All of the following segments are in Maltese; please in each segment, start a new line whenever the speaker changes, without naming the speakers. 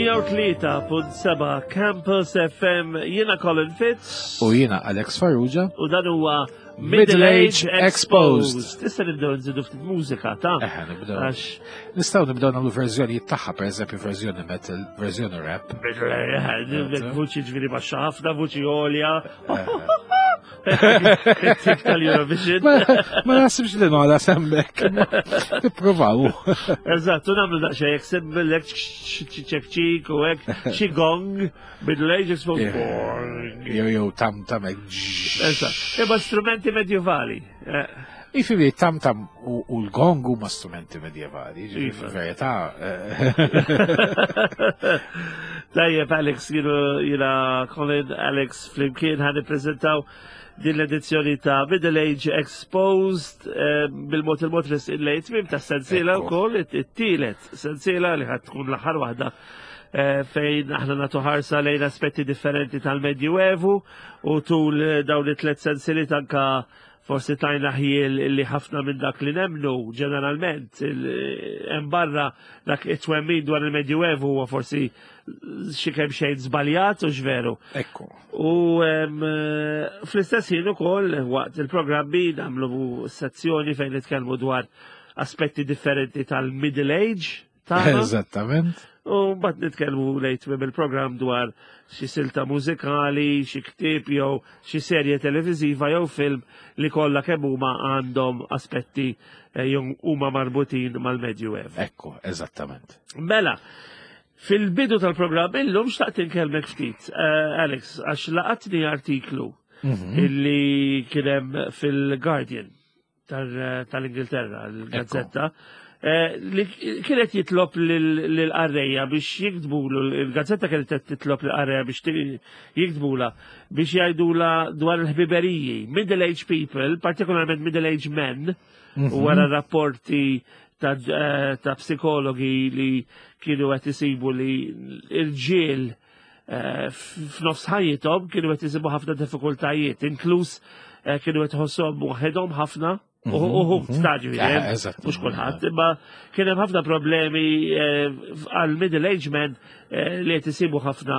103.7 Campus FM jiena Colin Fitz
U jiena Alex Farrugia.
U dan huwa Middle Age Exposed. Tista' nibdew nżidu ftit mużika ta'
Eħe, nibdew. Għax Nistgħu nibdew nagħmlu verżjonijiet tagħha, pereżempju verżjoni metal, verżjoni rap.
Vuċi ġifieri baxxa ħafna, vuċi għolja. Tip tal-Eurovision.
Ma nasibx li nola semmek. Nippruvaw.
Eżatt, u nagħmlu daqsxejn jekk semmillek ċekċik u hekk xi gong Middle Age Exposed.
Jew jew tam tam hekk.
Eżatt. Imma strumenti medjevali. Eh.
Ifimi, tam tam u l-gong huma strumenti medjevali, ġifieri iva. fil-verità. Eh.
Tajjeb, Alex, jiena Colin, Alex flimkien ħan nippreżentaw din l-edizzjoni ta' Middle Age Exposed eh, bil-mod il-mod lejn tmiem ta' sensiela wkoll it-tielet sensiela li ħad tkun l-aħħar waħda eh, fejn aħna nagħtu ħarsa lejn aspetti differenti tal-Medjuevu u tul dawn it-tlet sensiliet anka Forsi tajna ħjiel li ħafna minn dak li nemnu ġeneralment hemm barra dak it-twemmin dwar il-Medjuevu huwa forsi xi kemm xejn żbaljat u x'veru.
Ekku.
U fl-istess ħin ukoll waqt il-programmi nagħmlu sezzjoni fejn nitkellmu dwar aspetti differenti tal-middle age
tagħna. Eżattament.
U mbagħad nitkellmu lejt tmiem il-programm dwar xi silta mużikali, xi ktieb jew xi serje televiżiva jew film li kollha kemm huma għandhom aspetti eh, jew huma marbutin mal-Medjuev.
Ekku, eżattament.
Mela, fil-bidu tal-programm illum xtaqt inkellmek ftit, eh, Alex, għax laqatni artiklu mhm. illi kien hemm fil-Guardian tal-Ingilterra, l-gazzetta, eh, li kienet jitlob l-qarrejja biex jiktbulu, il-gazzetta kienet titlob l-qarrejja biex jiktbula, biex jgħidula dwar il-ħbiberiji, middle age people, partikolarment middle age men, mhm. wara rapporti ta' eh, psikologi li kienu qed isibu li l-ġiel eh, f'nofs ħajjithom kienu qed isibu ħafna diffikultajiet, inkluż eh, kienu qed iħossuhom waħedhom ħafna. Mhm, uħu mhm. staġu, eh, mux kulħadd, imma kien hemm ħafna problemi għal middle age men li qed isibu ħafna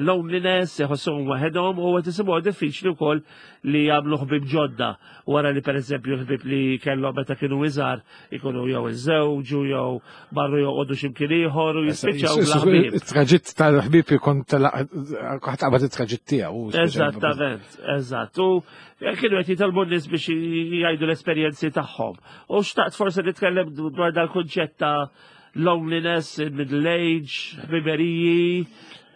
loneliness, iħossuhom waħedhom u qed isibuha diffiċli wkoll li jagħmlu ħbib ġodda wara li pereżempju l-ħbib li kellhom meta kienu iżgħar ikunu jew iżżewġu jew marru joqogħdu x'imkien ieħor u jispiċċaw bla ħbieb.
It-traġitt tal-ħbieb ikun ħadd qabad it-traġitt tiegħu.
Eżattament, eżatt. U kienu qed jitolbu n-nies biex jgħidu l-esperjenzi tagħhom. U xtaqt forsi nitkellem dwar dal-kunċett ta' loneliness, middle age, ħbiberiji,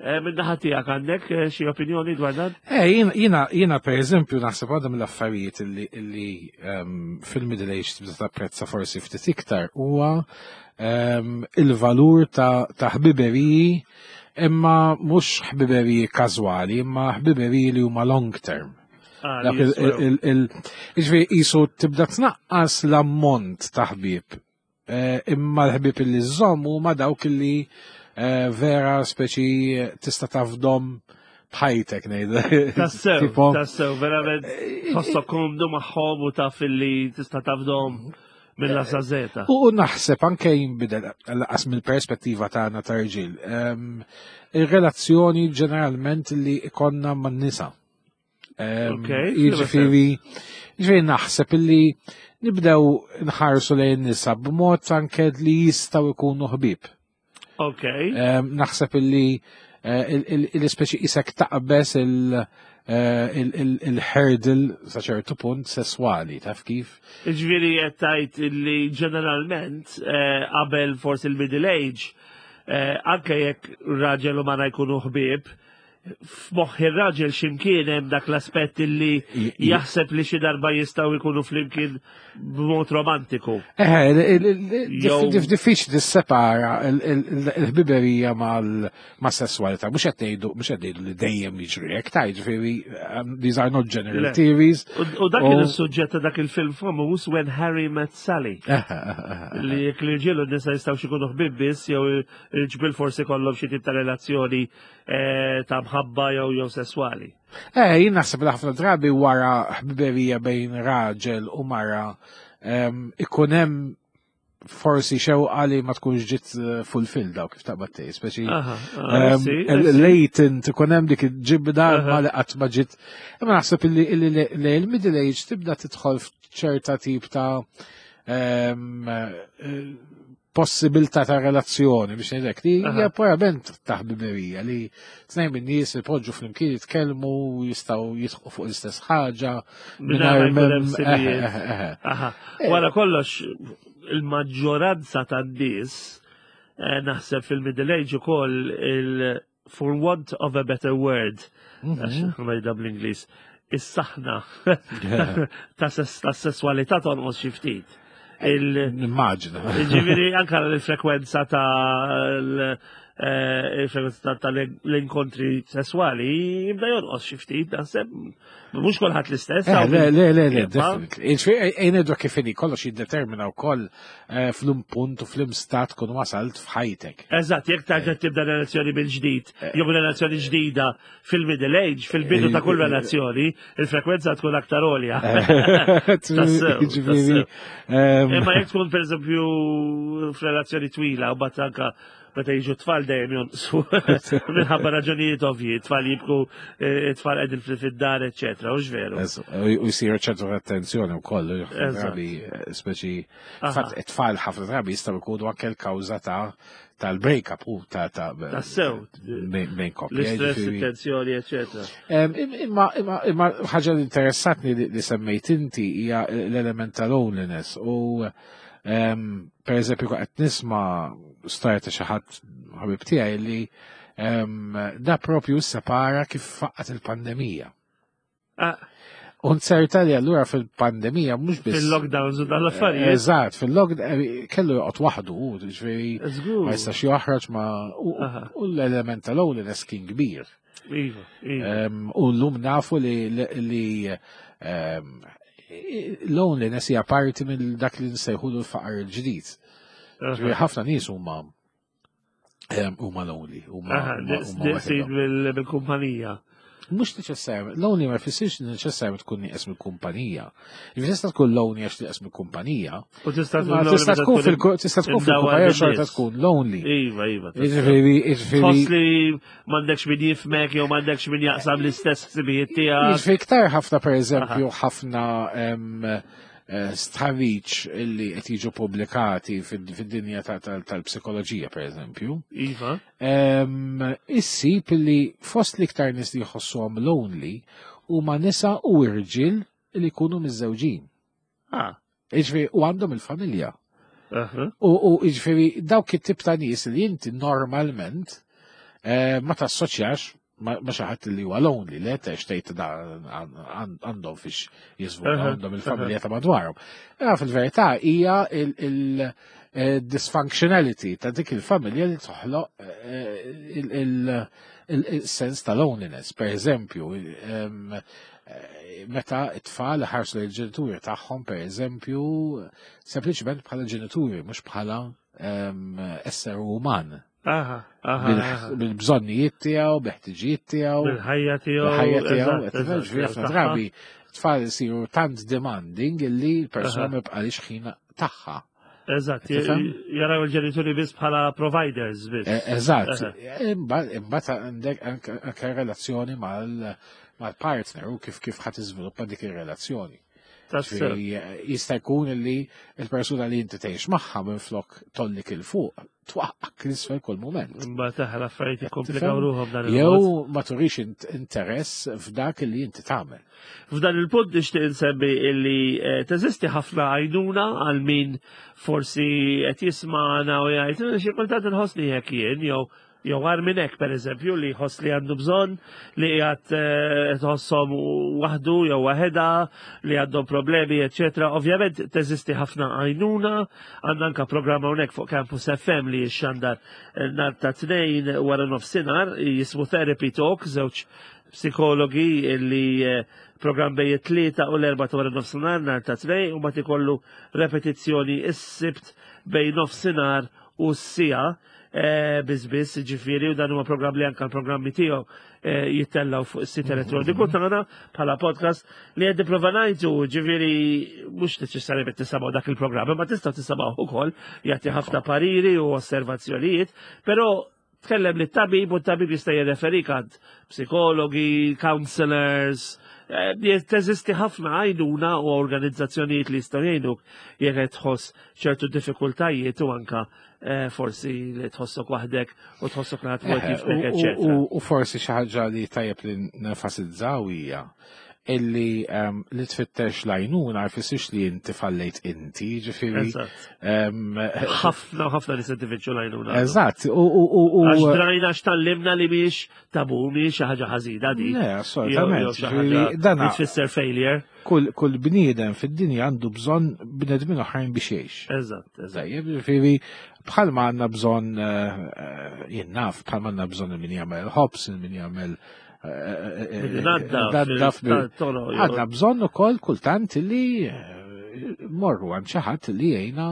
eh, minn naħa tiegħek għandek eh, xi opinjoni dwar dan?
Eh, jiena jiena pereżempju naħseb għadha mill-affarijiet illi ehm, fil-middle age tibda tapprezza forsi ftit iktar huwa ehm, il-valur ta' ħbiberiji imma mhux ħbiberiji każwali, imma ħbiberiji li huma long term. Ah, Dak il-ġifieri qisu tibda tnaqqas l-ammont ta' ħbieb Eh, imma l-ħbib li żomm huma dawk li eh, vera speċi tista' tafdom bħajtek ngħid.
Tassew, tassew, verament eh, tħossok komdu magħhom u taf li tista' tafdom mill zeta.
U naħseb anke jinbidel laqas mill-perspettiva tagħna ta' rġiel. Ehm, ir-relazzjoni ġeneralment li ikonna man-nisa. Jiġifieri, jiġifieri naħseb illi nibdew nħarsu lejn nisa b'mod anke li jistgħu jkunu ħbieb.
Ok.
Naħseb illi eh, l-ispeċi isek taqbes eh, il-hurdle sa ċertu punt sesswali, taf kif?
Ġviri qed tgħid illi ġeneralment eh, qabel forsi l-middle age, anke jekk raġel u mara jkunu ħbieb, f'moħħ ir-raġel x'imkien hemm dak l-aspett illi jaħseb li xi darba jistgħu jkunu flimkien b'mod romantiku.
Eh, diffiċli tissepara l-ħbiberija mal-sesswalità. Mhux qed ngħidu mhux qed ngħidu li dejjem jiġri hekk ta' jiġifieri um, these are not general theories.
U dak kien is-suġġett ta' dak il-film famuż When Harry Met Sally. Li jekk l-irġiel u n-nisa jistgħu xi jkunu ħbieb biss jew il-ġbil forsi kollhom xi tip ta' relazzjoni Eh, ta' mħabba jew jew sesswali.
Eh, jien naħseb li ħafna drabi wara ħbiberija bejn raġel u mara ikun hemm forsi xewqa li ma tkunx ġiet fulfilled daw kif taqbad tgħid, speċi latent ikun hemm dik il-ġibda ma li qatt ma ġiet. Imma naħseb illi il-middle age tibda tidħol f'ċerta tip ta' possibilità ta' relazzjoni biex ngħidlek li hija purament ta' ħbiberija li tnejn min-nies ipoġġu flimkien jitkellmu jistgħu jidħqu fuq l-istess ħaġa
mingħajr Wara kollox il-maġġoranza tan-nies naħseb fil-middle age ukoll il for want of a better word, għax ngħidha bl-Ingliż, is-saħna ta' sessualità tonqos xi ftit.
Nimmaġina.
Ġifieri anke l-frekwenza ta' il-frekwenza tal-inkontri sessuali jibda jonqos xi ftit, naħseb mhux kulħadd l-istess.
Le, le, le, le, definitely. Ġifieri ngħidu kif inhi kollox jiddetermina wkoll fl-um punt u fl-um stat kun wasalt f'ħajtek.
Eżatt, jekk tarġa' tibda relazzjoni mill-ġdid, jew relazzjoni ġdida fil-middle age, fil-bidu ta' kull relazzjoni, il-frekwenza tkun aktar għolja.
Ġifieri.
Imma jekk tkun pereżempju f'relazzjoni twila u bat anka meta jiġu tfal dejjem jonqsu minħabba raġunijiet ovvji, tfal jibku, tfal qegħdin fid-dar, eċċetera, u veru.
U jsiru ċertu attenzjoni wkoll, drabi speċi tfal ħafna drabi jistgħu jkunu anke l-kawża ta' tal-break-up u ta' ta'
Tassew.
bejn koppja.
L-istress, it-tensjoni, eċċetera.
Imma ħaġa li interessatni li semmejt inti hija l-element ta' loneliness u per eżempju qed nisma' storja ta' xi ħadd ħabib tiegħi li da propju separa kif faqqat il-pandemija. U nserta li allura fil-pandemija mhux biss.
Fil-lockdowns u dal-affarijiet.
Eżatt, fil-lockdown kellu joqgħod waħdu, ġifieri ma jistax joħroġ ma u l-element ta' loneliness kien kbir.
Iva, iva.
U llum nafu li loneliness hija parti minn dak li nsejħulu l-faqar il-ġdid. Ġifieri ħafna nies huma huma lonely, huma
bil-kumpanija.
Mhux neċessarjament, lonely ma jfissirx li neċessarjament tkun nieqes mill-kumpanija. Jiġifieri tista' tkun lonely għax nieqes mill-kumpanija.
U tista'
tkun tista' tkun fil-kumpanija xorta tkun lonely.
Iva, iva.
Jiġifieri, jiġifieri.
Tħoss li m'għandekx min jifmek jew m'għandekx min jaqsam l-istess ħsibijiet tiegħek.
Jiġifieri iktar ħafna pereżempju ħafna stħarriġ illi qed jiġu pubblikati fid-dinja tal-psikoloġija pereżempju.
Iva.
Issib li fost l-iktar nies li jħossuhom lonely huma nisa u irġiel li jkunu miżżewġin. Jiġifieri u għandhom il-familja. U jiġifieri dawk it-tip ta' nies li inti normalment ma tassoċjax ma xi ħadd li huwa lonely, li qed tgħid da għandhom fiex jiżvugħu, għandhom il-familja ta' madwarhom. Fil-verità hija il-dysfunctionality ta' dik il-familja li toħloq il-sens ta' loneliness. Per eżempju, meta it-tfal ħarsu l-ġenituri tagħhom, per eżempju, sempliċement bħala ġenituri, mhux bħala esseri uman. Bil-bżonnijiet tiegħu, bil-ħtiġijiet tiegħu.
Bil-ħajja tiegħu.
Bil-ħajja tiegħu. Ġifieri ħafna drabi tfal isiru tant demanding illi l-persuna ma jibqalix ħin tagħha.
Eżatt, jaraw il-ġenituri biss bħala providers biss.
Eżatt. Imbagħad għandek anke relazzjoni mal-partner u kif kif ħadd iżviluppa dik ir-relazzjoni. Jista' jkun li l-persuna li inti tgħix magħha minflok tollik il fuq twaqqak l-isfel kull moment.
Imbagħad aħna l-affarijiet jikkomplikaw ruħhom dan
il Jew ma turix interess f'dak li inti tagħmel.
F'dan il-punt nixtieq insemmi illi teżisti ħafna għajnuna għal min forsi qed jisma'na u jgħid xi kultant inħossni hekk jien jew għar minn hekk pereżempju li jħoss li għandu bżonn li qiegħed tħosshom waħdu jew waħedha li għandhom problemi, eċċetera. Ovvjament teżisti ħafna għajnuna, għandna anke programm hawnhekk fuq Campus FM li jixxandar nhar ta' Tnejn wara nofsinhar jismu Therapy Talk, żewġ psikologi li programm bejn it-3 u l-4 ta' wara nofsinhar nhar ta' Tnejn u mbagħad ikollu repetizzjoni s-Sibt bejn nofsinhar u s-sija eh, biss ġifieri u dan huwa programm li anka l-programmi tiegħu eh, jittellaw fuq is-sit mhm. elettroniku tagħna bħala podcast li qed nipprova ngħidu ġifieri mhux neċessarjament tisimgħu dak il-programm, imma tistgħu tisimgħu ukoll jagħti ħafna pariri u osservazzjonijiet, però tkellem li tabib u t-tabib jista' jirreferik għand psikologi, counselors, eh, teżisti ħafna għajnuna u organizzazzjonijiet li jistgħu jgħinuk jekk qed tħoss ċertu diffikultajiet u anka eh, forsi li tħossok waħdek u tħossok li ħadd jifmek, eċetera.
U forsi xi ħaġa li tajjeb li nenfasizzaw hija illi ehm, li tfittex lajnuna jfissirx li inti fallejt inti, ġifieri.
Ehm, ħafna ħafna li se tifittxu lajnuna.
Eżatt. U
għax drajna x'tallimna li mhix tabu, mhix xi ħaġa ħażina di.
Le, assolutament.
Dan tfisser failure.
Kull bniedem fid-dinja għandu bżonn bnedmin oħrajn biex jgħix.
Eżatt, eżatt.
Ġifieri bħalma għandna bżonn eh, eh, jien naf, bħalma għandna bżonn min jagħmel ħobs, min jagħmel Għadna bżonn ukoll kultant li eh, morru għand xi ħadd li jgħinna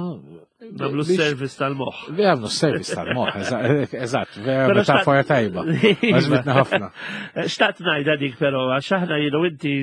Nagħmlu s-service tal-moħħ.
Nagħmlu s-service tal-moħħ, eżatt, vera metafora tajba. Għażbitna ħafna.
Xtaqt ngħidha dik però għax aħna jienu inti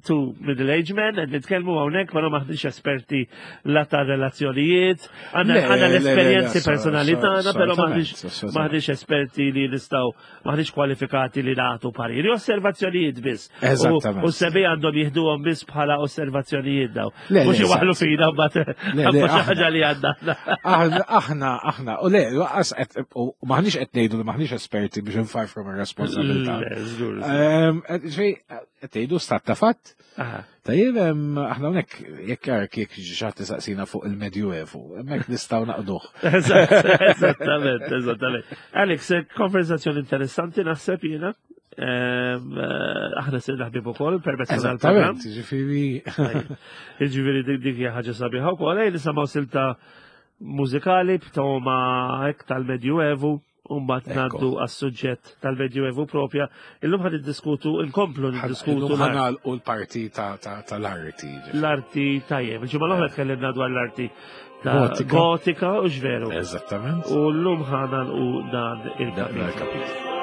tu middle age men qed nitkellmu hawnhekk però maħniex esperti la ta' relazzjonijiet, għandna l-esperjenzi personali tagħna, però maħniex esperti li nistgħu maħniex kwalifikati li nagħtu pariri, osservazzjonijiet biss.
Eżattament.
U sebi għandhom jieħduhom biss bħala osservazzjonijiet daw. Mhux iwaħlu fina mbagħad xi ħaġa li għandna.
Aħna, aħna, u le, u maħniex qed ngħidu li maħniex esperti biex nfarfru mir-responsabilità. Ehm, qed ngħidu stat ta' fatt. Tajjeb, aħna hawnhekk jekk jark jekk xi ħadd isaqsina fuq il-Medjuevu, hemmhekk nistgħu naqduh.
Eżattament, eżattament. Alex, eh, konversazzjoni interessanti naħseb jiena. Eh, aħna se naħbib ukoll permezz
tal-programm. Eżattament, ġifieri.
Ġifieri dik hija ħaġa sabiħa wkoll, ej nisimgħu silta mużikali b'toma hekk tal-Medjuevu. U mbagħad ngħaddu għas-suġġett tal-Medjuevu propja. Illum ħan niddiskutu, inkomplu niddiskutu.
Illum ħan u l-parti tal-arti.
L-arti tajjeb. Il-ġimgħa l-oħra tkellimna dwar l-arti ta' gotika u x'veru.
Eżattament.
U llum ħana u dan il-kapitlu.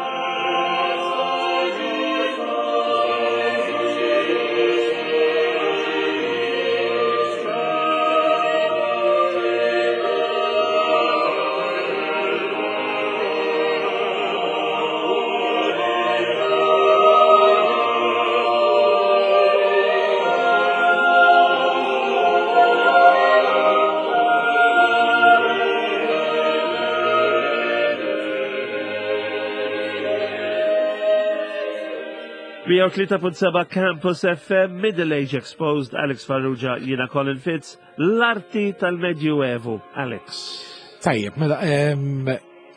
Seba Campus FM, Middle Age Exposed, Alex Farrugia, jina Colin Fitz, l-arti tal-Medjuevu, Alex.
Tajjeb, mela,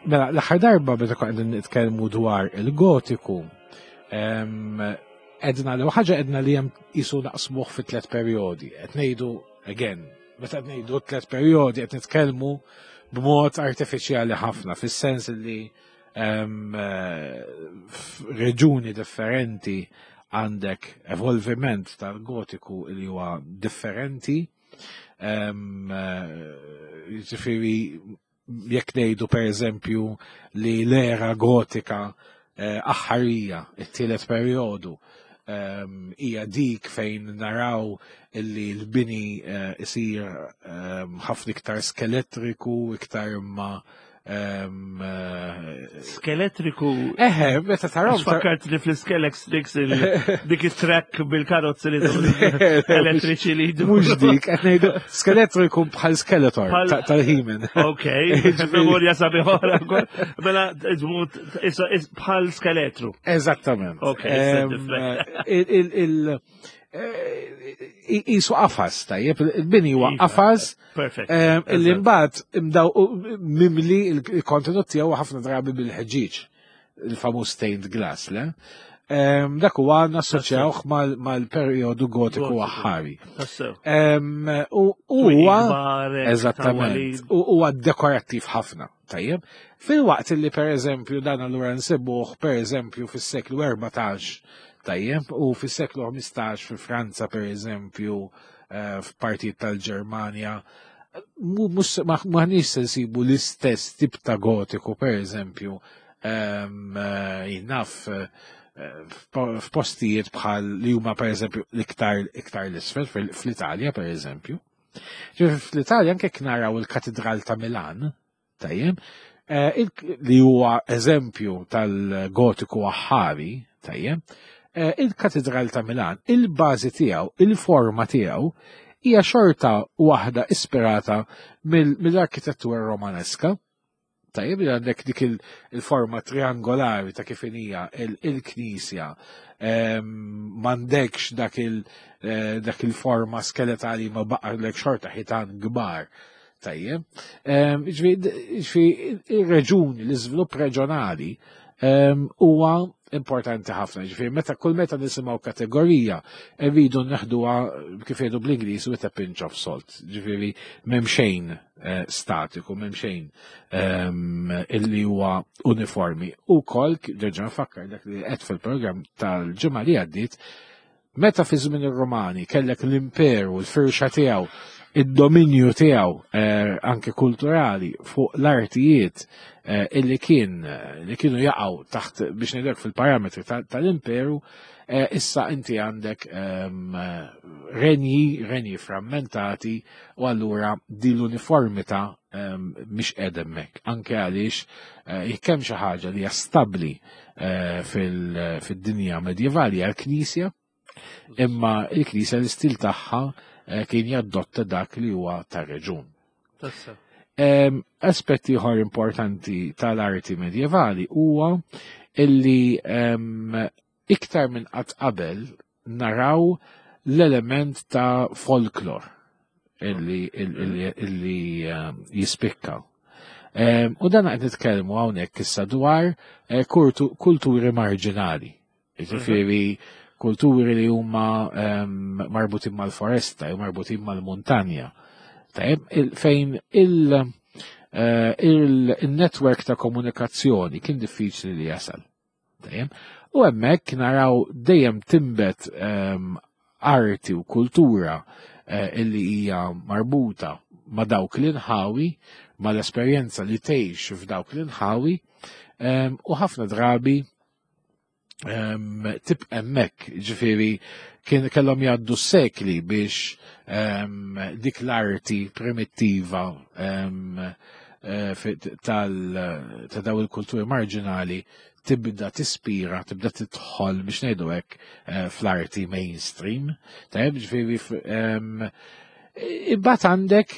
mela l-aħħar darba meta konna qegħdin nitkellmu dwar il-gotiku, edna li ħaġa edna li hemm qisu naqsmuh fi tliet perjodi. Qed ngħidu again, meta qed ngħidu tliet perjodi qed nitkellmu b'mod artifiċjali ħafna fis-sens li f'reġuni differenti għandek evolviment tal-gotiku li huwa differenti. Eh, ġifieri jekk ngħidu pereżempju li l-era gotika eh, aħħarija, it-tielet perjodu, hija dik fejn naraw illi l-bini eh, isir ħafna iktar skeletriku, iktar imma Eh,
Skeletriku.
Eħe, meta taraw.
Fakkart li fl-Skelex Tricks dik it-track bil-karozzi li elettriċi li jdu.
Mux dik, qed ngħidu skeletriku bħal Skeletor tal-He-Man.
Ok, memorja sabiħora. Mela, bħal skeletru.
Eżattament.
Ok.
Il jisu qafas, tajjeb, il-bini huwa iva, qafas.
Perfect.
Eh, illi mbagħad imdaw mimli il-kontenut tiegħu ħafna drabi bil-ħġieġ, il-famuż stained glass, le? Dak huwa nassoċjawh mal-perjodu gotiku aħħari. U huwa eżattament, u huwa dekorattiv ħafna. Tajjeb, filwaqt li per eżempju dan allura nsibuh per eżempju fis-seklu 14, tajjeb, u fis-seklu 15 fi Franza per eżempju eh, f'partijiet tal-Ġermanja. Mhux maħniex se nsibu l-istess tip ta' gotiku, per eżempju, jien naf f'postijiet bħal li huma per eżempju l-iktar iktar l-isfel fl-Italja per eżempju. Fl-Italja anke naraw il-Katedral ta' Milan, tajjeb, li huwa eżempju tal-gotiku aħħari, tajjeb, il-Katedral ta' Milan, il-bażi tiegħu, il-forma tiegħu hija xorta waħda ispirata mill-arkitettura romaneska. Tajjeb li għandek dik il-forma triangolari ta' kif hija il-knisja, m'għandekx dak il-forma skeletali ma baqgħlek xorta ħitan kbar. Tajjeb. Ġifieri ir-reġuni, l-iżvilupp reġjonali huwa importanti ħafna. Ġifieri meta kull meta nisimgħu kategorija rridu neħduha kif jgħidu bl-Ingliż with a pinch of salt. Ġifieri m'hemm xejn statiku, m'hemm xejn illi huwa uniformi. U kol, nerġa' nfakkar dak li qed fil-programm tal-ġimgħa li għaddiet, meta fi żmien ir-Romani kellek l-imperu, l-firxa tiegħu, id-dominju tiegħu anke kulturali fuq l-artijiet illi kien li kienu jaqgħu taħt biex ngħidlek fil-parametri tal-imperu, issa inti għandek renji frammentati u allura din l-uniformità mhix qiegħda hemmhekk. Anke għaliex jekk hemm xi ħaġa li hija stabbli fid-dinja medjevali hija l-Knisja, imma il-Knisja l-istil tagħha kien jaddotta dak li huwa tar-reġun. Aspetti ieħor importanti tal-arti medjevali huwa illi iktar minn qatt qabel naraw l-element ta' folklor illi jispikka. U dan qed nitkellmu hawnhekk issa dwar kulturi marġinali. Ġifieri kulturi li huma marbutin mal-foresta jew marbutin mal-muntanja. Tajjeb, fejn il-network ta' komunikazzjoni kien diffiċli li jasal. Tajjeb, u hemmhekk naraw dejjem timbet arti u kultura illi hija marbuta ma' dawk l-inħawi, ma' l-esperjenza li tgħix f'dawk l-inħawi, u ħafna drabi tibqa' hemmhekk, ġifieri kien kellhom jgħaddu sekli biex dik l-arti primittiva ta' daw il-kulturi marġinali tibda tispira, tibda tidħol biex ngħidu hekk fl-arti mainstream. Tajjeb, ġifieri imbagħad għandek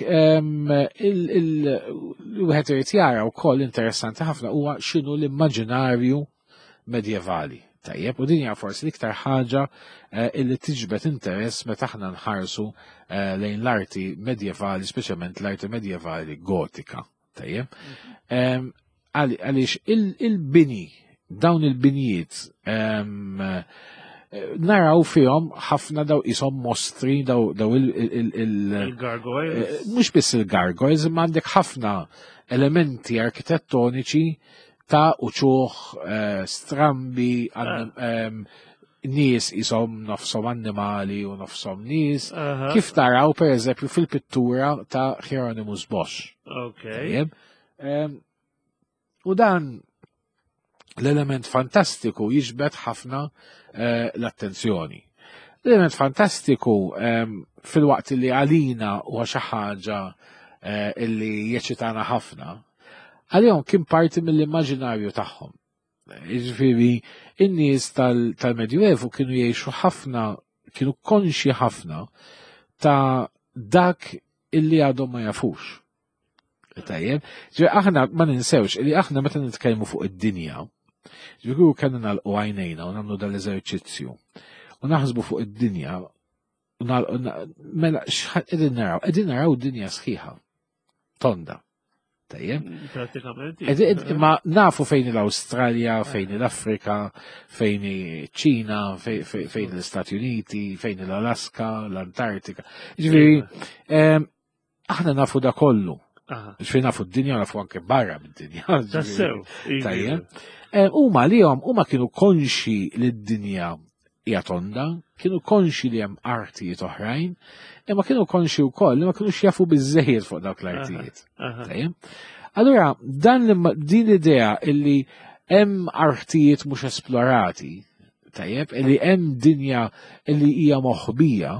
il-wieħed irid jara wkoll interessanti ħafna huwa x'inhu l-immaġinarju medjevali. Tajjeb, u din hija forsi l-iktar ħaġa illi tiġbed interess meta aħna nħarsu lejn l-arti medjevali, speċjalment l-arti medjevali gotika. Tajjeb. Għaliex il-bini, dawn il-binijiet, naraw fihom ħafna daw isom mostri, daw
Il-gargoyles.
Mhux biss il-gargoyles, imma għandek ħafna elementi arkitettoniċi ta' uċuħ strambi, nies isom nofsom annimali u nofsom nies, kif taraw per eżempju fil-pittura ta' Hieronymus Bosch. Tajjeb. U dan l-element fantastiku jiġbed ħafna l-attenzjoni. L-element fantastiku fil-waqt li għalina huwa xi ħaġa illi jeċitana ħafna, għalihom kien parti mill-immaġinarju tagħhom. Jiġifieri, in-nies tal-Medjuevu kienu jgħixu ħafna, kienu konxji ħafna ta' dak illi għadhom ma jafux. Tajjeb, ġifieri aħna ma ninsewx illi aħna meta nitkellmu fuq id-dinja, ġifieri kellna nagħlqu għajnejna u nagħmlu dal-eżerċizzju u naħsbu fuq id-dinja, mela x'ħa qegħdin naraw? Qegħdin naraw dinja sħiħa, tonda. Tajjeb.
Pratikament.
Imma nafu fejn l-Awstralja, fejn l-Afrika, fejn iċ-Ċina, fejn l-Istati Uniti, fejn l-Alaska, l-Antartika. Ġifieri, aħna nafu da kollu. Ġifieri nafu d-dinja, nafu anke barra mid-dinja.
Tassew.
Tajjeb. Huma lihom, huma kienu konxi li d-dinja hija tonda, kienu konxi li hemm artijiet oħrajn, imma kienu konxi wkoll li ma kinux jafu biżejjed fuq dawk l-artijiet. Allura, dan din l-idea illi hemm artijiet mhux esplorati, tajjeb, illi hemm dinja illi hija moħbija,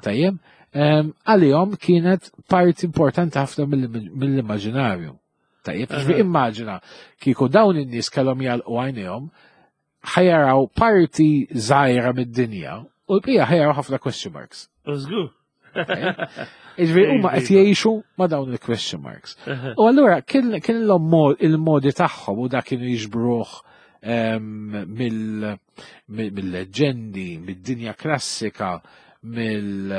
tajjeb, għalihom kienet parti importanti ħafna mill-immaġinarju. Tajjeb, ġifieri immaġina kieku dawn in-nies kellhom jagħlqu għajnejhom ħajaraw parti żgħira mid-dinja u l-bqija ħajaraw ħafna question marks.
Żgur.
Iġveri, huma qed jgħixu ma' dawn il-question marks. U allura kien il-modi tagħhom u dak kienu jiġbruh mill-leġendi, mid-dinja klassika, mill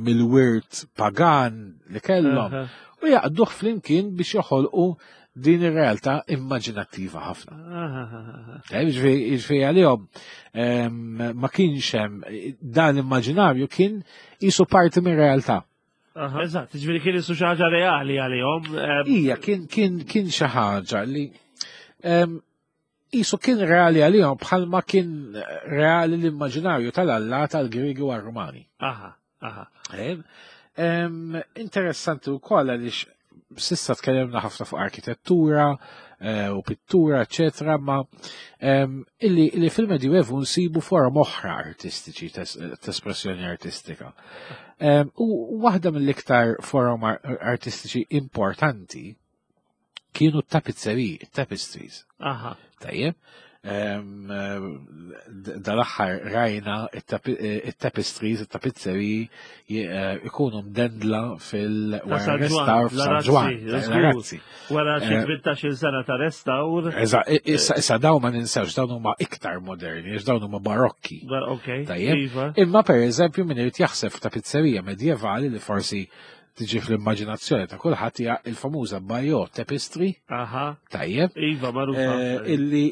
mill-wirt pagan li kellhom u jaqduh flimkien biex joħolqu din ir-realtà immaġinattiva ħafna. Ġifieri għalihom ma kienx hemm dan l-immaġinarju kien jisu parti mir-realtà.
Eżatt, ġifieri kien isu xi ħaġa reali għalihom.
Ija, kien xi ħaġa li Qisu kien reali għalihom bħalma kien reali l-immaġinarju tal-alla tal-Griegi u għar-Rumani.
Aha, aha.
Interessanti wkoll għaliex sissa tkellimna ħafna fuq arkitettura eh, u pittura, eċetera, ma illi, illi fil-Medjuevu nsibu forom oħra artistiċi t-espressjoni artistika. U waħda mill-iktar forom artistiċi importanti kienu t-tapizzeriji, tapestries.
Aha.
Tajjeb. Dal-aħħar rajna it-tapestries, it-tapizzeriji eh, ikunu mdendla fil-wara restawr f'San Ġwan.
Razzi. Wara xi 18 eh, sena ta' restawr.
Issa issa dawn ma ninsewx dawn huma iktar moderni, għax dawn huma barokki.
Tajjeb.
Iva. Imma pereżempju min irid jaħseb f'tapizzerija medjevali li forsi tiġi fl-immaġinazzjoni ta' kulħadd hija il-famuża Bayeux Tapestry.
Aha.
Tajjeb.
Iva, magħrufa.
Eh, illi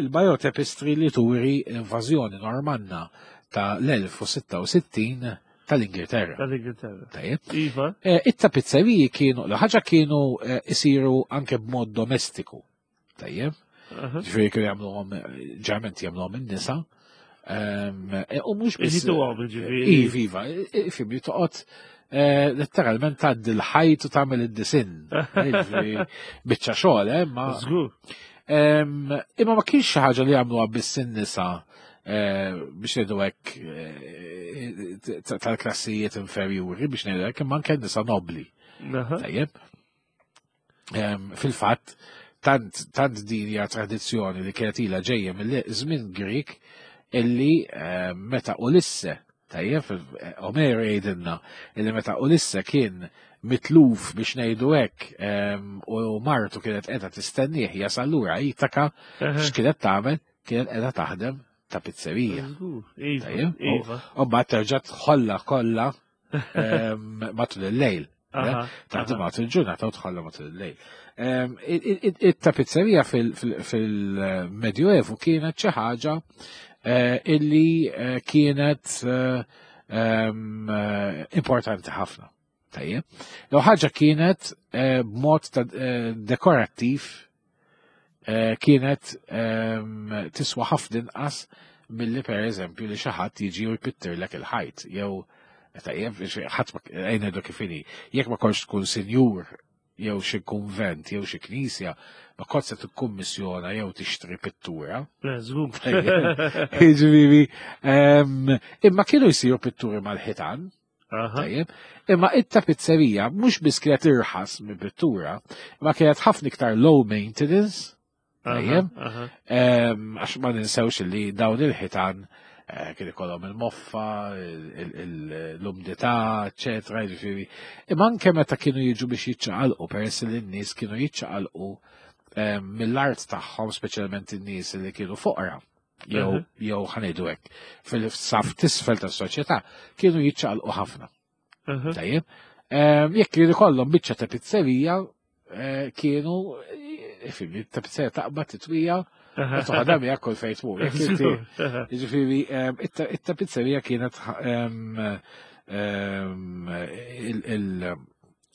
il-Bayeux Tapestry li turi l-invażjoni Normanna ta' l-1066 tal-Ingilterra.
Tal-Ingilterra.
Tajjeb.
Iva.
Eh, it-tapizzeriji kienu, l-ħaġa kienu eh, isiru anke b'mod domestiku. Tajjeb. Ġifieri kienu jagħmluhom ġerment jagħmluhom in-nisa. E, u mhux
biss. ġifieri.
Iva, iva, fim li toqgħod e, letteralment tgħaddi l-ħajt u tagħmel id-disinn. Biċċa xogħol, eh, ma.
Żgur.
Imma ma kienx xi ħaġa li jagħmluha biss in-nisa e, biex ngħidu hekk tal-klassijiet inferjuri biex ngħidu hekk imma anke nisa nobli. Tajjeb. Fil-fatt, tant, tant din hija tradizzjoni li kienet ilha ġejja mill-żmien Grik illi meta Ulisse, tajjeb, Omeru jgħidilna illi meta Ulisse kien mitluf biex ngħidu hekk u martu kienet qiegħda tistennieh jasal lura Itaka, x'kienet tagħmel? Kienet qiegħda taħdem ta' pizzerija.
Iva, iva.
U mbagħad terġa' tħollha kollha matul il-lejl. Taħdem matul il-ġurnata u tħalla matul il-lejl. It-tapizzerija fil-Medjuevu kienet xi ħaġa eh, illi eh, kienet eh, importanti ħafna. Tajjeb. L ħaġa kienet b'mod dekorattiv eh, kienet ehm, tiswa ħafna inqas milli per eżempju li xi ħadd jiġi u jpittirlek il-ħajt jew tajjeb ħadd ngħidu kif inhi. Jekk ma kontx tkun sinjur jew xi kunvent jew xi knisja, ma kont se tikkummissjona jew tixtri pittura. Jiġifieri, ehm, imma kienu jsiru pitturi mal-ħitan, Tajjeb. Imma it-tapizzerija mhux biss kienet irħas minn pittura, imma kienet ħafna iktar low maintenance. Tajjeb. Għax ma ninsewx li dawn il-ħitan eh, kien ikollhom il-moffa, l-umdità, eċetera, jiġifieri. Imma anke meta kienu jiġu biex jiċċaqalqu, peress li n-nies kienu jiċċaqalqu mill-art tagħhom, speċjalment in-nies li kienu foqra jew mhm. jew ħanejdu hekk fil-saf tisfel tas-soċjetà kienu jiċċaqalqu ħafna. Mhm. Tajjeb. Ehm, jekk kienu kollhom biċċa ta' pizzerija eh, kienu eh, fimni ta' pizzerija taqbad titwija Toħodha miegħek kull fejn tmur. Jiġifieri ehm, it-tapizzerija kienet ehm,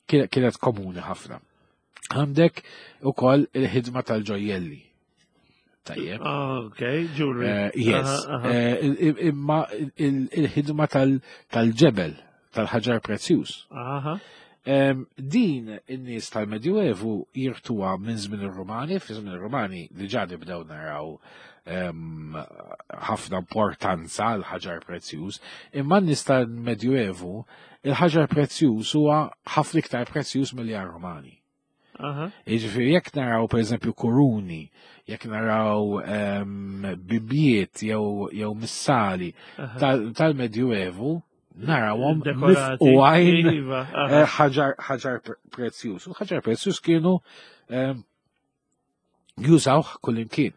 kienet komuni ħafna. Għandek ukoll il-ħidma tal-ġojjelli. Tajjeb.
Ah, ok, jewelry.
Yes. Imma il-ħidma tal-ġebel, tal-ħaġar prezzjuż. Din in-nies tal-Medjuevu jirtuha minn żmien ir-Rumani, fi żmien ir-Rumani diġà nibdew naraw ħafna importanza għal ħaġar prezzjuż, imma n-nies tal-Medjuevu il-ħaġar prezzjuż huwa ħafna iktar prezzjuż milli għar-Rumani. Jiġifieri jekk naraw pereżempju kuruni, jekk naraw bibjiet jew missali tal-Medjuevu, narawhom
Dekorati.
u għajn
Iva,
ħaġar prezzjuż. U ħaġar prezzjuż kienu jużawh kullimkien.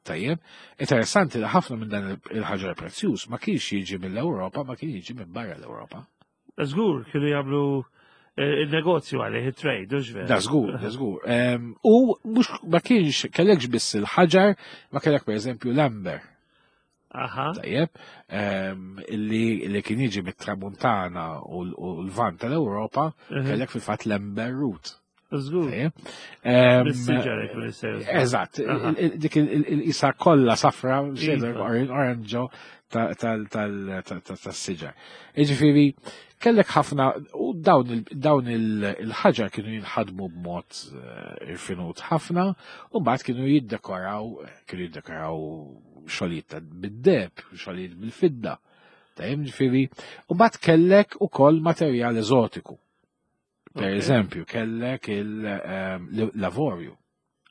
Tajjeb, interessanti li ħafna minn dan il-ħaġar prezzjuż ma kienx jiġi mill-Ewropa, ma kien jiġi minn barra l-Ewropa.
Żgur, kienu jagħmlu il-negozju għalih, il-trade, u veru.
Da żgur, da żgur. U mhux ma kienx kellekx biss il-ħaġar, ma kellek pereżempju l-amber. Tajjeb, illi kien jiġi mit-Tramuntana u l-Lvant tal-Ewropa, kellek fil-fatt l-amber root.
Żgur.
Tajjeb.
Mis-siġar jekk mill-sejjer.
Eżatt, dik il-isa kollha safra, oranġo tas-siġar. Jiġifieri, kellek ħafna, u dawn il-ħaġar kienu jinħadmu b'mod irfinut ħafna, u mbagħad kienu jiddekoraw xogħlijiet bid-deheb, xogħlijiet bil-fidda. Tajjeb, ġifieri, u mbagħad kellek ukoll materjal eżotiku. Per eżempju, kellek l-avorju.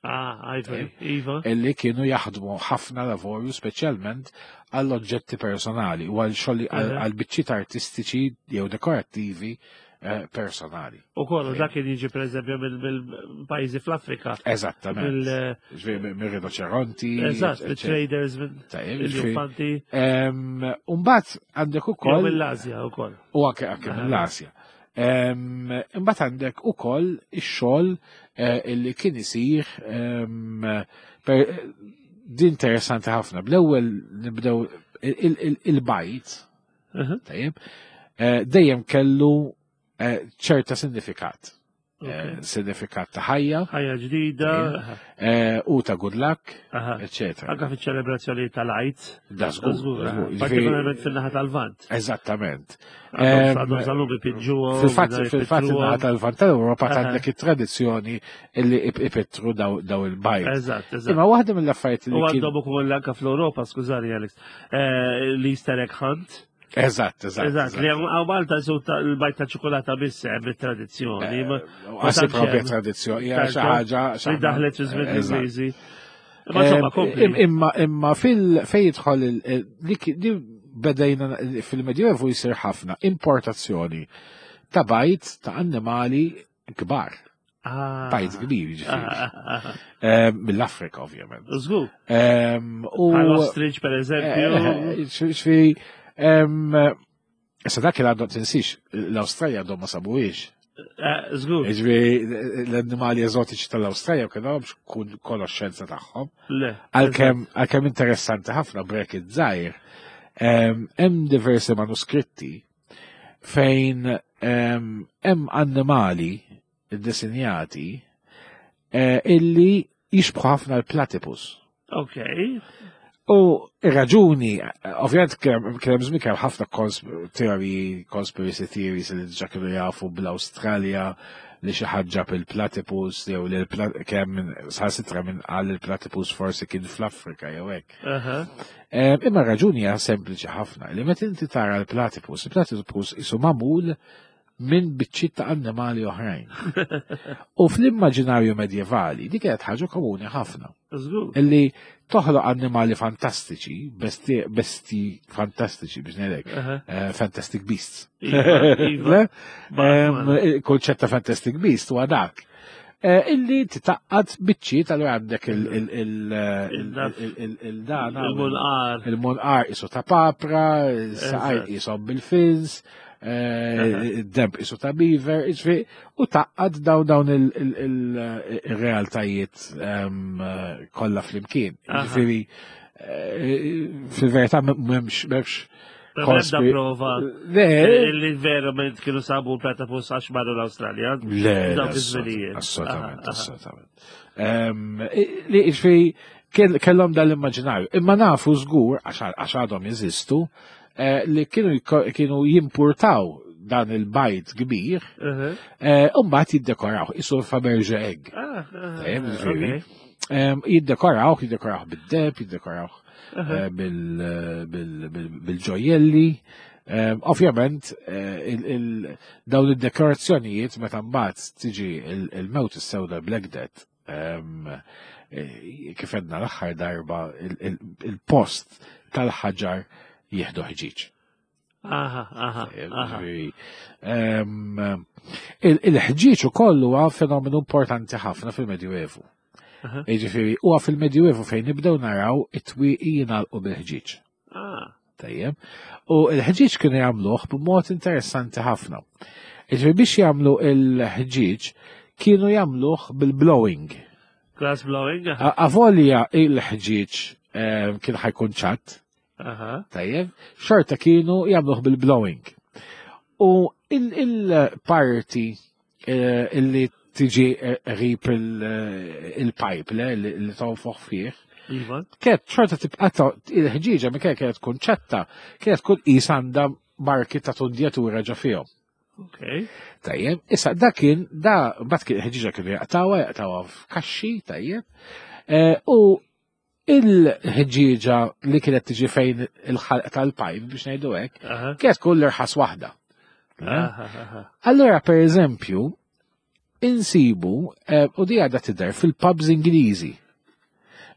Ah, ivory, iva.
Illi kienu jaħdmu ħafna l-avorju, speċjalment għall-oġġetti personali u għal xogħol għal biċċiet artistiċi jew dekorattivi personali.
U kollu dak kien jiġi per eżempju mill-pajjiżi fl-Afrika.
Eżattament. Ġifieri mir-rinoċeronti,
Eżatt,
eccetera.
mit-traders, minn
Tajjeb, ġifieri,
il-elefanti.
Mbagħad għandek ukoll
Jew mill-Asja wkoll.
U anke mill-Asja. Imbagħad għandek ukoll ix-xogħol illi kien isir, per, din interessanti ħafna. Bl-ewwel nibdew il-bajt, tajjeb, dejjem kellu ċerta sinifikat. Sinifikat ta' ħajja.
Ħajja ġdida.
Tajjeb. U ta' good luck, eccetera.
Anka fiċ-ċelebrazzjoni tal-Għid.
Da żgur,
Żgur,
da żgur.
Partikolarment fin-naħa tal-Lvant.
Eżattament.
Għandhom sal-lum ipiġġuhom, mingħajr
Fil-fatt
ipittruhom.
in-naħa tal-Lvant tal-Ewropa għandek it-tradizzjoni illi ipittru daw il-bajt.
Eżatt, eżatt.
Imma waħda mill-affarijiet li
U
kien
għandhom ukoll anka fl-Ewropa, skużani Alex, l-Easter egg hunt.
Eżatt, eżatt,
Eżatt, li
eżatt.
għaw Malta jisu l-bajt ta' ċokolata biss hemm it-tradizzjoni, ma
Għasi
tantx
propja
hemm.
tradizzjoni, hija xi
Tarġa'
ħaġa, xi
li
ħaġa.
daħlet fi żmien
Eżatt.
l-Ingliżi. Imma insomma, kompli.
Imma fej jidħol li li bedejna fil-Medjuevu jsir ħafna importazzjoni ta' bajt ta' annimali kbar. Bajt kbir, jiġifieri. Mill-Afrika, ovvjament.
Żgur.
U
Bħal ostrich, per eżempju.
Ġifieri, issa dak il għandhom tinsix, l-Awstralja għandhom ma sabuhiex.
Żgur.
Ġifieri, l-annimali eżotiċi tal-Awstralja kienu għandhom konoxxenza tagħhom.
Le,
Għalkemm interessanti ħafna brek iż-żgħir, hemm diversi manuskritti fejn hemm annimali ddisinjati illi jixbħu ħafna l-platypus. U ir-raġuni, ovvjament kien hemm żmien kien ħafna teoriji, conspiracy theories li diġà kienu jafu bl-Awstralja li xi ħadd ġab il-platypus jew li kemm minn saħansitra minn qal il-platypus forsi kien fl-Afrika jew hekk. Imma raġuni hija sempliċi ħafna li meta inti tara l-platypus, il-platypus isu magħmul minn biċċiet ta' annimali oħrajn. U fl-immaġinarju medjevali dik kienet ħaġa komuni ħafna.
Żgur.
Illi toħloq annimali fantastiċi, besti fantastiċi biex ngħidlek, Fantastic Beasts.
Iva, iva.
Le?
Ba, ma.
Il-konċett ta' Fantastic Beast huwa dak. Illi titaqqad biċċiet allura għandek il-dana,
Il-munqar.
Il-munqar isu ta' papra, il-saqaj isom bil-fins, id-demb isu ta' beaver, jiġifieri, u taqqad dawn il-realtajiet kollha flimkien. Jiġifieri, fil-verità m'hemmx
Ebda prova li verament kienu sabu l-platypus għax marru l-Awstralja.
Le, assolutament, assolutament. Li ġifieri kellhom dal-immaġinarju. Imma nafu żgur għax għadhom jeżistu eh, li kienu jimpurtaw dan il-bajd kbir, eh, u mbagħad jiddekoraw, isu Faberge egg. Ah, ah, jiddekoraw, jiddekoraw bid-deb, jiddekoraw eh, bil-ġojjelli. Ovvjament, eh, dawn id-dekorazzjonijiet meta mbagħad tiġi il-mewt is-sewda Black Death, eh, kif għedna l-aħħar darba il-post tal-ħaġar jieħdu ħġiġ.
Aha, aha, aha.
Il-ħġieġ ukoll huwa fenomenu importanti ħafna fil-Medjuevu. Jiġifieri huwa fil-Medjuevu fejn nibdew naraw it-twieqi jingħalqu bil-ħġieġ. Ah. Tajjeb. U l-ħġieġ kienu jagħmluh b'mod interessanti ħafna. Jiġifieri biex jagħmlu l-ħġieġ kienu jagħmluh bil-blowing.
Glass blowing.
Avolja il-ħġieġ kien ħajkun ċatt, Tajjeb, xorta kienu jagħmluh bil-blowing. U il-parti eh, illi tiġi eh, rip eh, il-pipe le li tonfoħ fih. Iva. Kienet xorta tibqa' il-ħġieġa mi kienet tkun ċatta, kienet tkun qis għandha marki ta' tundjatura ġo fihom.
Okay.
Tajjeb, issa da kien, da bat kien ħġiġa kienu jaqtawa, jaqtawa f'kaxxi, tajjeb. U Il-ħġieġa li kienet tiġi fejn il-ħalq tal-pajp biex ngħidu hekk, kienet tkun l-irħas waħda. Allora, per eżempju, insibu, eh, u di għadha tidher fil-pubs Ingliżi.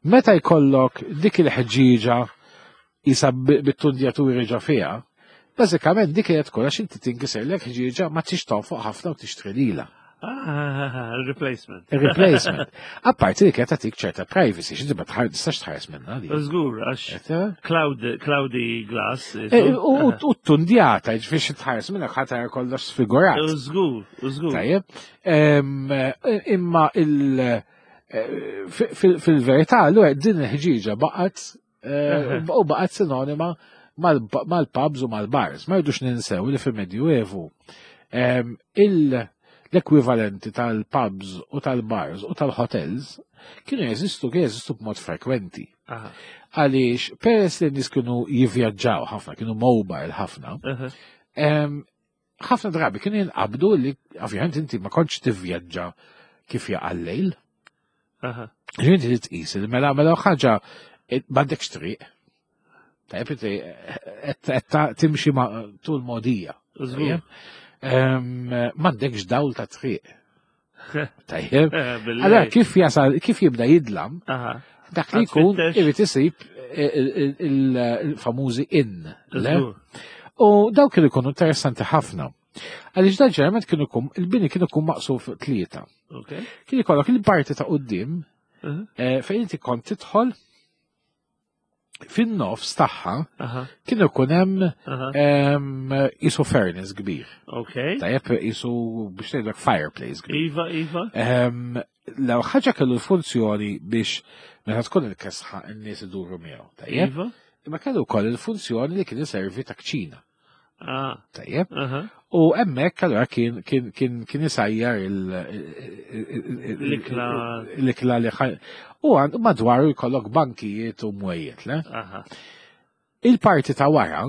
Meta jkollok dik il-ħġieġa jisa bit-tundjaturi ġo fiha, bażikament dik kienet tkun għax inti tinkiserlek ħġieġa ma tix tonfoq ħafna u tixtri lilha.
Ah, replacement.
Replacement. Apparti li kienet tagħtik ċerta privacy, x'inti ma tistax tħares minnha
di. Żgur, għax cloudy glass.
Eh, u tundjata, ġifieri xi tħares minnha ħatar kollox sfigurat.
Żgur, żgur.
Tajjeb. Imma il- eh, fil-verità, allura din il-ħġieġa baqgħet Eh, u baqgħet sinonima mal-pubs u mal-bars. Ma jridux ninsew li fil-Medjuevu l-ekwivalenti tal-pubs u tal-bars u tal-hotels kienu jeżistu kienu jeżistu b'mod frekwenti. Għaliex, peress li nies kienu jivvjaġġaw ħafna, kienu mobile ħafna, ħafna drabi kienu jinqabdu li ovvjament inti ma kontx tivvjaġġa kif jaqa' lejl. Ġifieri inti tqis li mela mela ħaġa eh, m'għandekx triq. Tajjeb inti eh, qed timxi tul modija. M'għandekx dawl ta' triq. Tajjeb. Eh, allora kif jasal, kif jibda jidlam, dak li jkun irid isib il-famużi in. U daw kienu jkunu interessanti ħafna. Għaliex da ġerment kienu jkun, il-bini kienu jkun maqsum fuq tlieta. Kien ikollok il-parti ta' qudiem uh-huh. eh, fejn inti kont tidħol fin-nofs tagħha kien ikun hemm isu furnace kbir.
Okay.
Tajjeb isu biex ngħidlek fireplace kbir.
Iva, iva.
Law ħaġa kellu l-funzjoni biex meta tkun il-kesħa n-nies iduru miegħu. Tajjeb. Iva. Imma kellu wkoll il-funzjoni li kien iservi ta' kċina.
Ah.
Tajjeb. U hemmhekk allura kien kien kien kien isajjar
l-ikla
l-ikla li u għand madwaru jkollok bankijiet u mwejjed, le? Il-parti ta' wara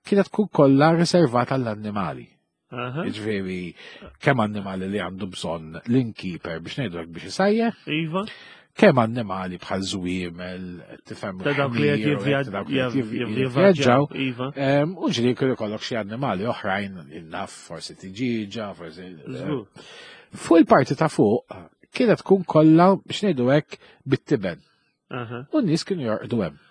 kienet tkun kollha riservata għall-annimali. Ġifieri kemm annimali li għandu bżonn l-innkeeper biex ngħidu biex isajjer.
Iva.
Kemm annimali bħal żwiemel, tifhem
Ta' dawk li qed jivvjaġġaw.
Iva. U ġieli jkun ikollok xi annimali oħrajn, naf forsi tiġiġa, forsi. Eh. Fuq il-parti ta' fuq kienet tkun kollha biex ngħidu hekk bit-tiben. U n-nies kienu jorqdu hemm.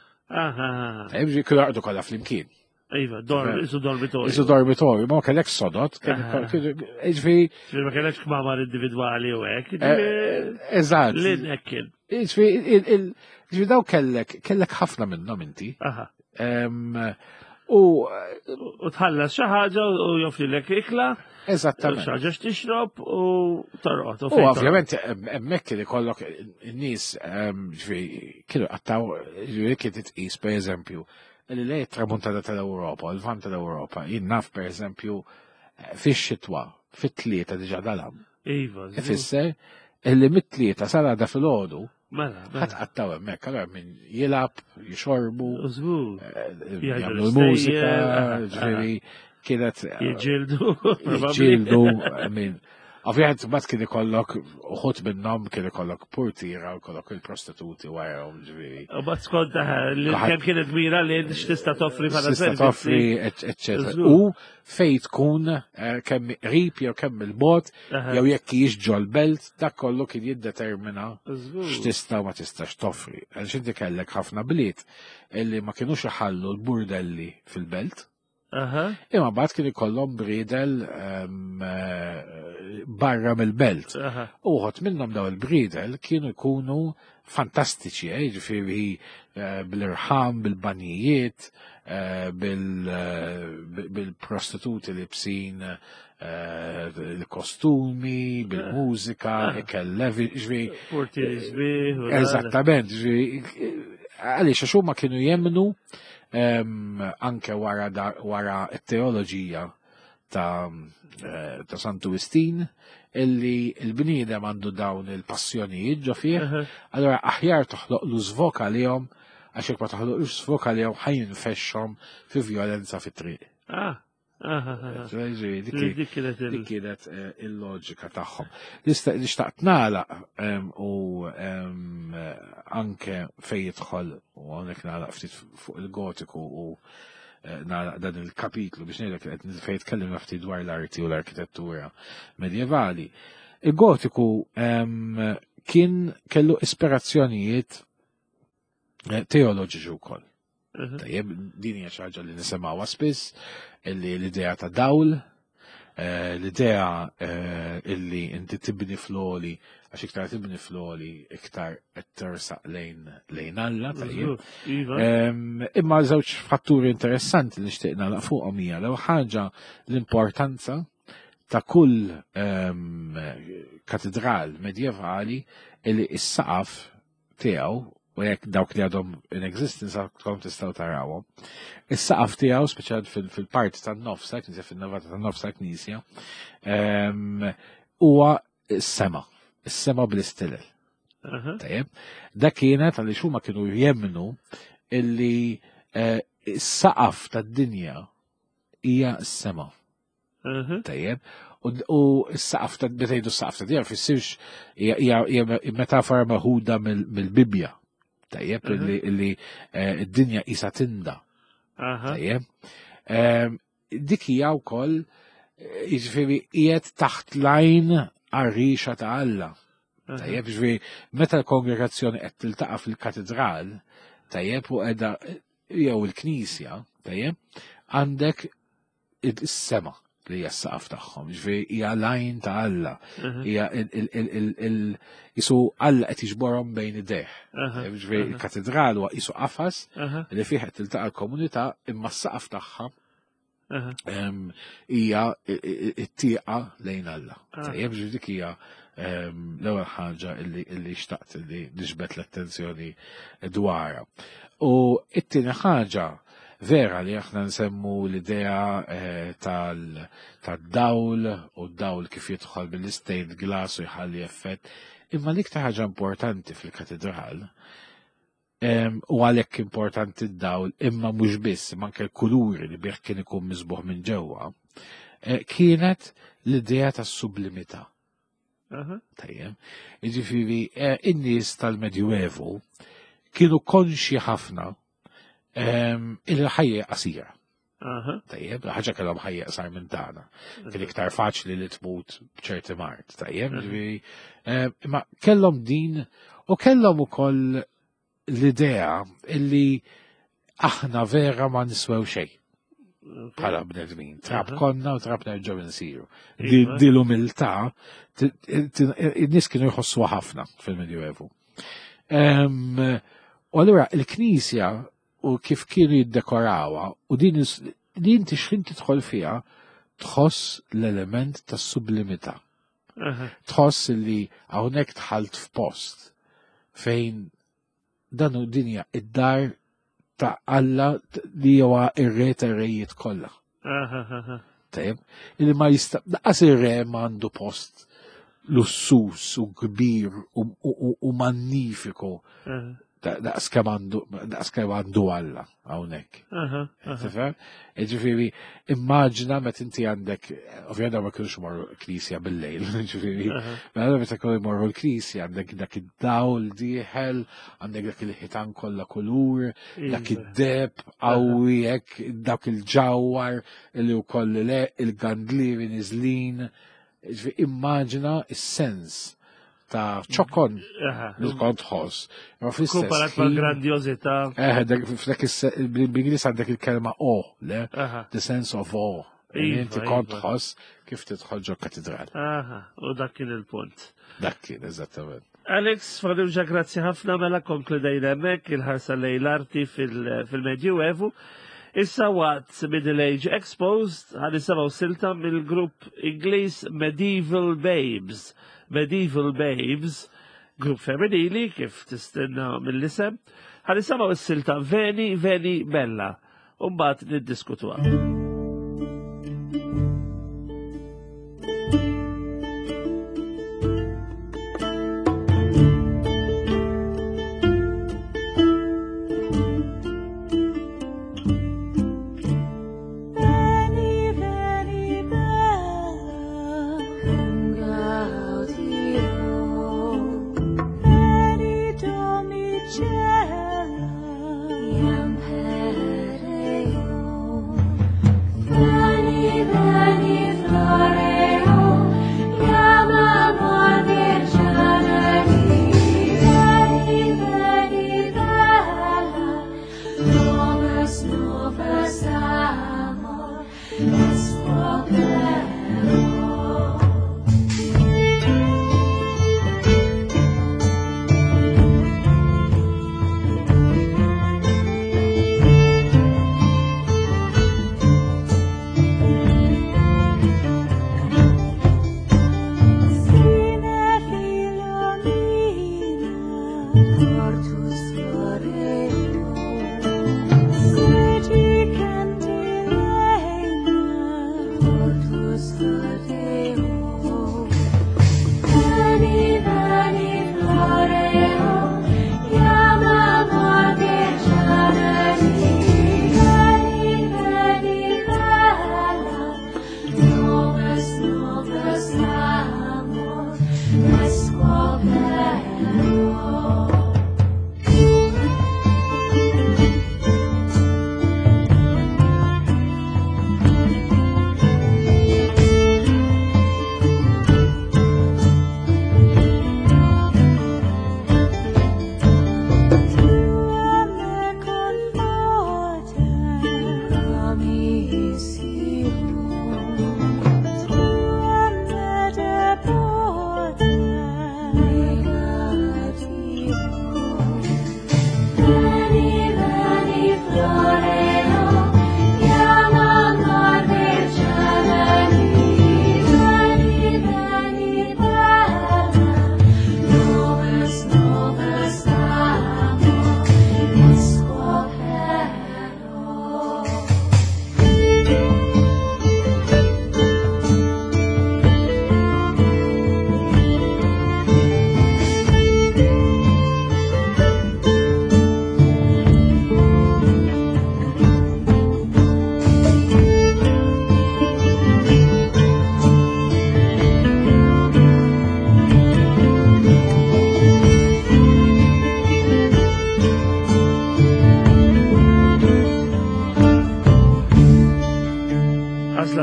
Kienu jorqdu kollha flimkien.
Iva, dorm, isu dormitorju.
Isu dormitorju, ma kellek sodot, ġifieri.
Ma kellekx kmamar individwali u hekk.
Eh, eh, eżatt.
Lin hekk kien.
Ġifieri, ġifieri daw kellek, kellek ħafna minnhom inti. U
u tħallas xi ħaġa u joffrilek ikla.
Eżattament.
Xi ħaġa x'tixrob u torqod.
U ovvjament hemmhekk li kollok in-nies ġifieri kienu qattaw ġifieri kien titqis pereżempju. li lej tramuntana tal-Ewropa, l-vant tal-Ewropa, jien naf per eżempju eh, fix-xitwa, fit-tlieta diġà dalam.
Iva.
Ifisser illi mit-tlieta sal-għada fil-ħodu,
Mela, mela.
ħadd qattaw hemmhekk, allura min jilgħab, jixorbu,
Żgur.
eh,
Jgħidu
jagħmlu l-mużika,
l-istejjer,
ġifieri kienet
Jiġġieldu. probabbli.
ġildu, I mean, ovvjament mbagħad kien ikollok uħud minnhom kien ikollok portiera u kollok il-prostituti warahom ġifieri.
U bat skont eh, li kemm kienet mira li x'tista' toffri bħala
Tista'
servizzi.
toffri, eccetera.
Żgur.
U fej tkun eh, kemm qrib jew kemm il-bot
Aha,
jew jekk hijiex ġol-belt, dak kollu kien jiddetermina
Żgur.
x'tista' u ma tistax toffri. Għaliex inti kellek ħafna bliet illi ma kinux iħallu l-burdelli fil-belt.
Aha.
Imma mbagħad kien ikollhom bridel ehm, eh, barra mill-belt.
Aha.
U uħod minnhom daw il-bridel kienu jkunu fantastiċi, eh, ġifieri eh, bil-irħam, bil-banjijiet, eh, bil- eh, bil-prostituti libsin eh, il-kostumi, bil-mużika,
Ah.
ikel levi, ġifieri
Portieri sbieħ. u dan.
Eżattament, ġifieri, għaliex għax huma kienu jemnu em, anke wara da- wara t-teoloġija ta', eh, ta' Santu Wistin illi l-bniedem għandu dawn il-passjonijiet ġo fih,
Aha.
allora aħjar toħloq lu żvok għalihom għax jekk ma toħloqlux żvok għalihom ħajinfexxhom fi vjolenza fit-triq.
Ah. Aha. aha.
Ġifieri, dik
Dik kienet il-
Dik kienet eh, il-loġika tagħhom. Nista' nixtaqt nagħlaq em, u em, eh, anke fejn jidħol u hawnhekk nagħlaq ftit fuq il-gotiku u eh, nagħlaq dan il-kapitlu biex ngħidlek li qed fejn tkellimna ftit dwar l-arti u l-arkitettura medjevali. Il-gotiku em, kien kellu ispirazzjonijiet eh, teoloġiċi wkoll.
Aha.
Tajjeb, din hija xi ħaġa li nisimgħuha spiss, illi l-idea ta' dawl, eh, l-idea eh, illi inti tibni floli, għax iktar tibni floli, iktar qed tersaq lejn lejn Alla, tajjeb.
Żgur. Iva.
Em, Imma żewġ fatturi interessanti li nixtieq nagħlaq fuqhom hija l ħaġa l-importanza ta' kull em, katedral medjevali li s-saqaf tiegħu u jekk dawk li għadhom in existence għadkom tistgħu tarawhom. Is-saqaf tiegħu speċjalment fil- fil-parti tan-nofs tal-knisja, fin-navata tan-nofs tal-knisja, em, huwa s-sema, is-sema bl-istilel.
Aha.
Tajjeb, dak kienet għaliex huma kienu jemnu illi eh, s-saqaf tad-dinja hija s-sema.
Aha.
Tajjeb, u u s-saqaf ta' meta jgħidu s-saqaf tad-dinja fissirx hija- hija hija metafora meħuda mill- mill-Bibbja. Tajjeb,
Mhm.
illi illi, eh, id-dinja qisha tinda.
Aha.
Tajjeb. Ehm, Dik hija wkoll eh, jiġifieri qiegħed taħt lajn għar-rixa ta' Alla.
Aha.
Tajjeb, ġifieri, meta l-kongregazzjoni qed tiltaqa' fil-katedral, tajjeb, u qiegħda jew il-knisja, tajjeb, għandek is-sema li hija s-saqaf tagħhom, ġifieri hija lajn ta' Alla,
Aha.
hija il- il- il- il- il- jisu Alla qed jiġborhom bejn idejh.
Aha.
Tajjeb, Ġifieri il-katedral huwa qisu qafas
Aha.
li fih qed tiltaqa' l-komunità imma s-saqaf tagħha
Aha.
em, hija i- i- it-tieqa lejn Alla.
Ah.
Tajjeb, ġifieri dik hija em, l-ewwel ħaġa illi illi xtaqt illi niġbed l-attenzjoni dwarha. U it-tieni ħaġa vera li aħna nsemmu l-idea eh, tal- tad-dawl u d-dawl kif jidħol bil-stained glass u jħalli effett. Imma l-iktar ħaġa importanti fil-katedral Em, u għalhekk importanti d-dawl, imma mhux biss, imma anke l-kuluri li bih kien ikun miżbuħ minn ġewwa, eh, kienet l-idea tas-sublimità.
Aha.
Tajjeb. Jiġifieri eh, in-nies tal-Medjuevu kienu konxi ħafna em, il-ħajja qasira.
Aha.
Tajjeb, ħaġa kellhom ħajja qasar minn tagħna. Kien iktar faċli li tmut b'ċerti mard, tajjeb,
Mhm.
ġifieri, eh, imma kellhom din u kellhom ukoll l-idea illi aħna vera ma niswew xejn bħala bnedmin. Trab
Aha.
konna u trab nerġgħu nsiru. Di
Iva.
di l-umiltà ti- ti- in-nies kienu jħossuha ħafna fil-Medjuevu. Em, U allura il-Knisja u kif kienu jiddekorawha u din is- li inti x'ħin tidħol fiha tħoss l-element tas sublimità.
Aha.
Tħoss li hawnhekk dħalt f'post fejn dan u dinja id-dar ta' Alla li huwa ir-re tar-rejiet kollha. Tajjeb, illi ma jista' laqas ir-re m'għandu post lussus u kbir u magnifiku daqs kemm għandu daqs kemm għandu Alla hawnhekk. Tifhem? Ġifieri, immaġina meta inti għandek, ovvjament ma kienux imorru l-knisja bil-lejl, ġifieri, mela meta kienu jmorru l-knisja għandek dak id-dawl dieħel, għandek dak il-ħitan kollha kulur, dak iva. id-deb qawwi hekk, dak il-ġawwar li wkoll le il-gandlieri niżlin. Immaġina is-sens ta' ċokon li kont tħoss.
Ma fl-istess. Komparat ma' grandjozità.
Eh, f'dak bl-Ingliż għandek il-kelma o, le? The sense of awe. Iva, inti kont iva. tħoss kif tidħol ġo katedral.
Aha, u dak kien il-punt.
Dak kien, eżattament.
Alex, Farrugia, grazzi ħafna mela konkludejna hemmhekk il-ħarsa lejn l-arti fil-Medjuevu. Issa waqt Middle Age Exposed ħan nisimgħu silta mill-grupp Ingliż Medieval Babes. Medieval Babes, grupp femminili kif tistenna mill-isem, ħan nisimgħu s-silta Veni Veni Bella u mbagħad niddiskutuha.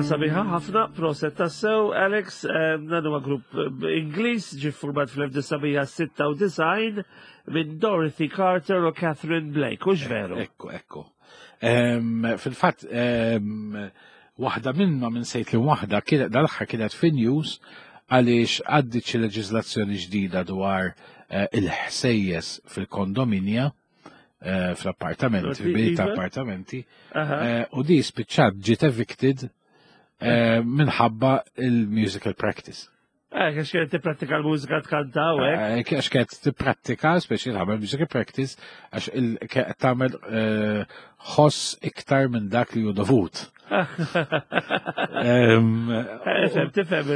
Sabiħa ħafna, proset tassew, Alex, eh, dan huwa grupp eh, Ingliż ġi format fl-1996 minn Dorothy Carter u Catherine Blake, hux veru?
Ekku, ekku. Fil-fatt, waħda minnhom minn sejt li waħda kienet dal-aħħar kienet fin news għaliex għaddit xi leġiżlazzjoni ġdida dwar eh, il-ħsejjes fil-kondominja eh, fl-appartamenti, fil-bini ta' appartamenti, eh, u di spiċċat ġiet evicted eh, minħabba il-musical practice.
Eh, għax kienet tipprattika l-mużika tkanta u hekk.
Eh, għax kienet tipprattika, speċi tagħmel music practice, għax tagħmel eh, ħoss iktar minn dak li hu dovut.
Eh, tifhem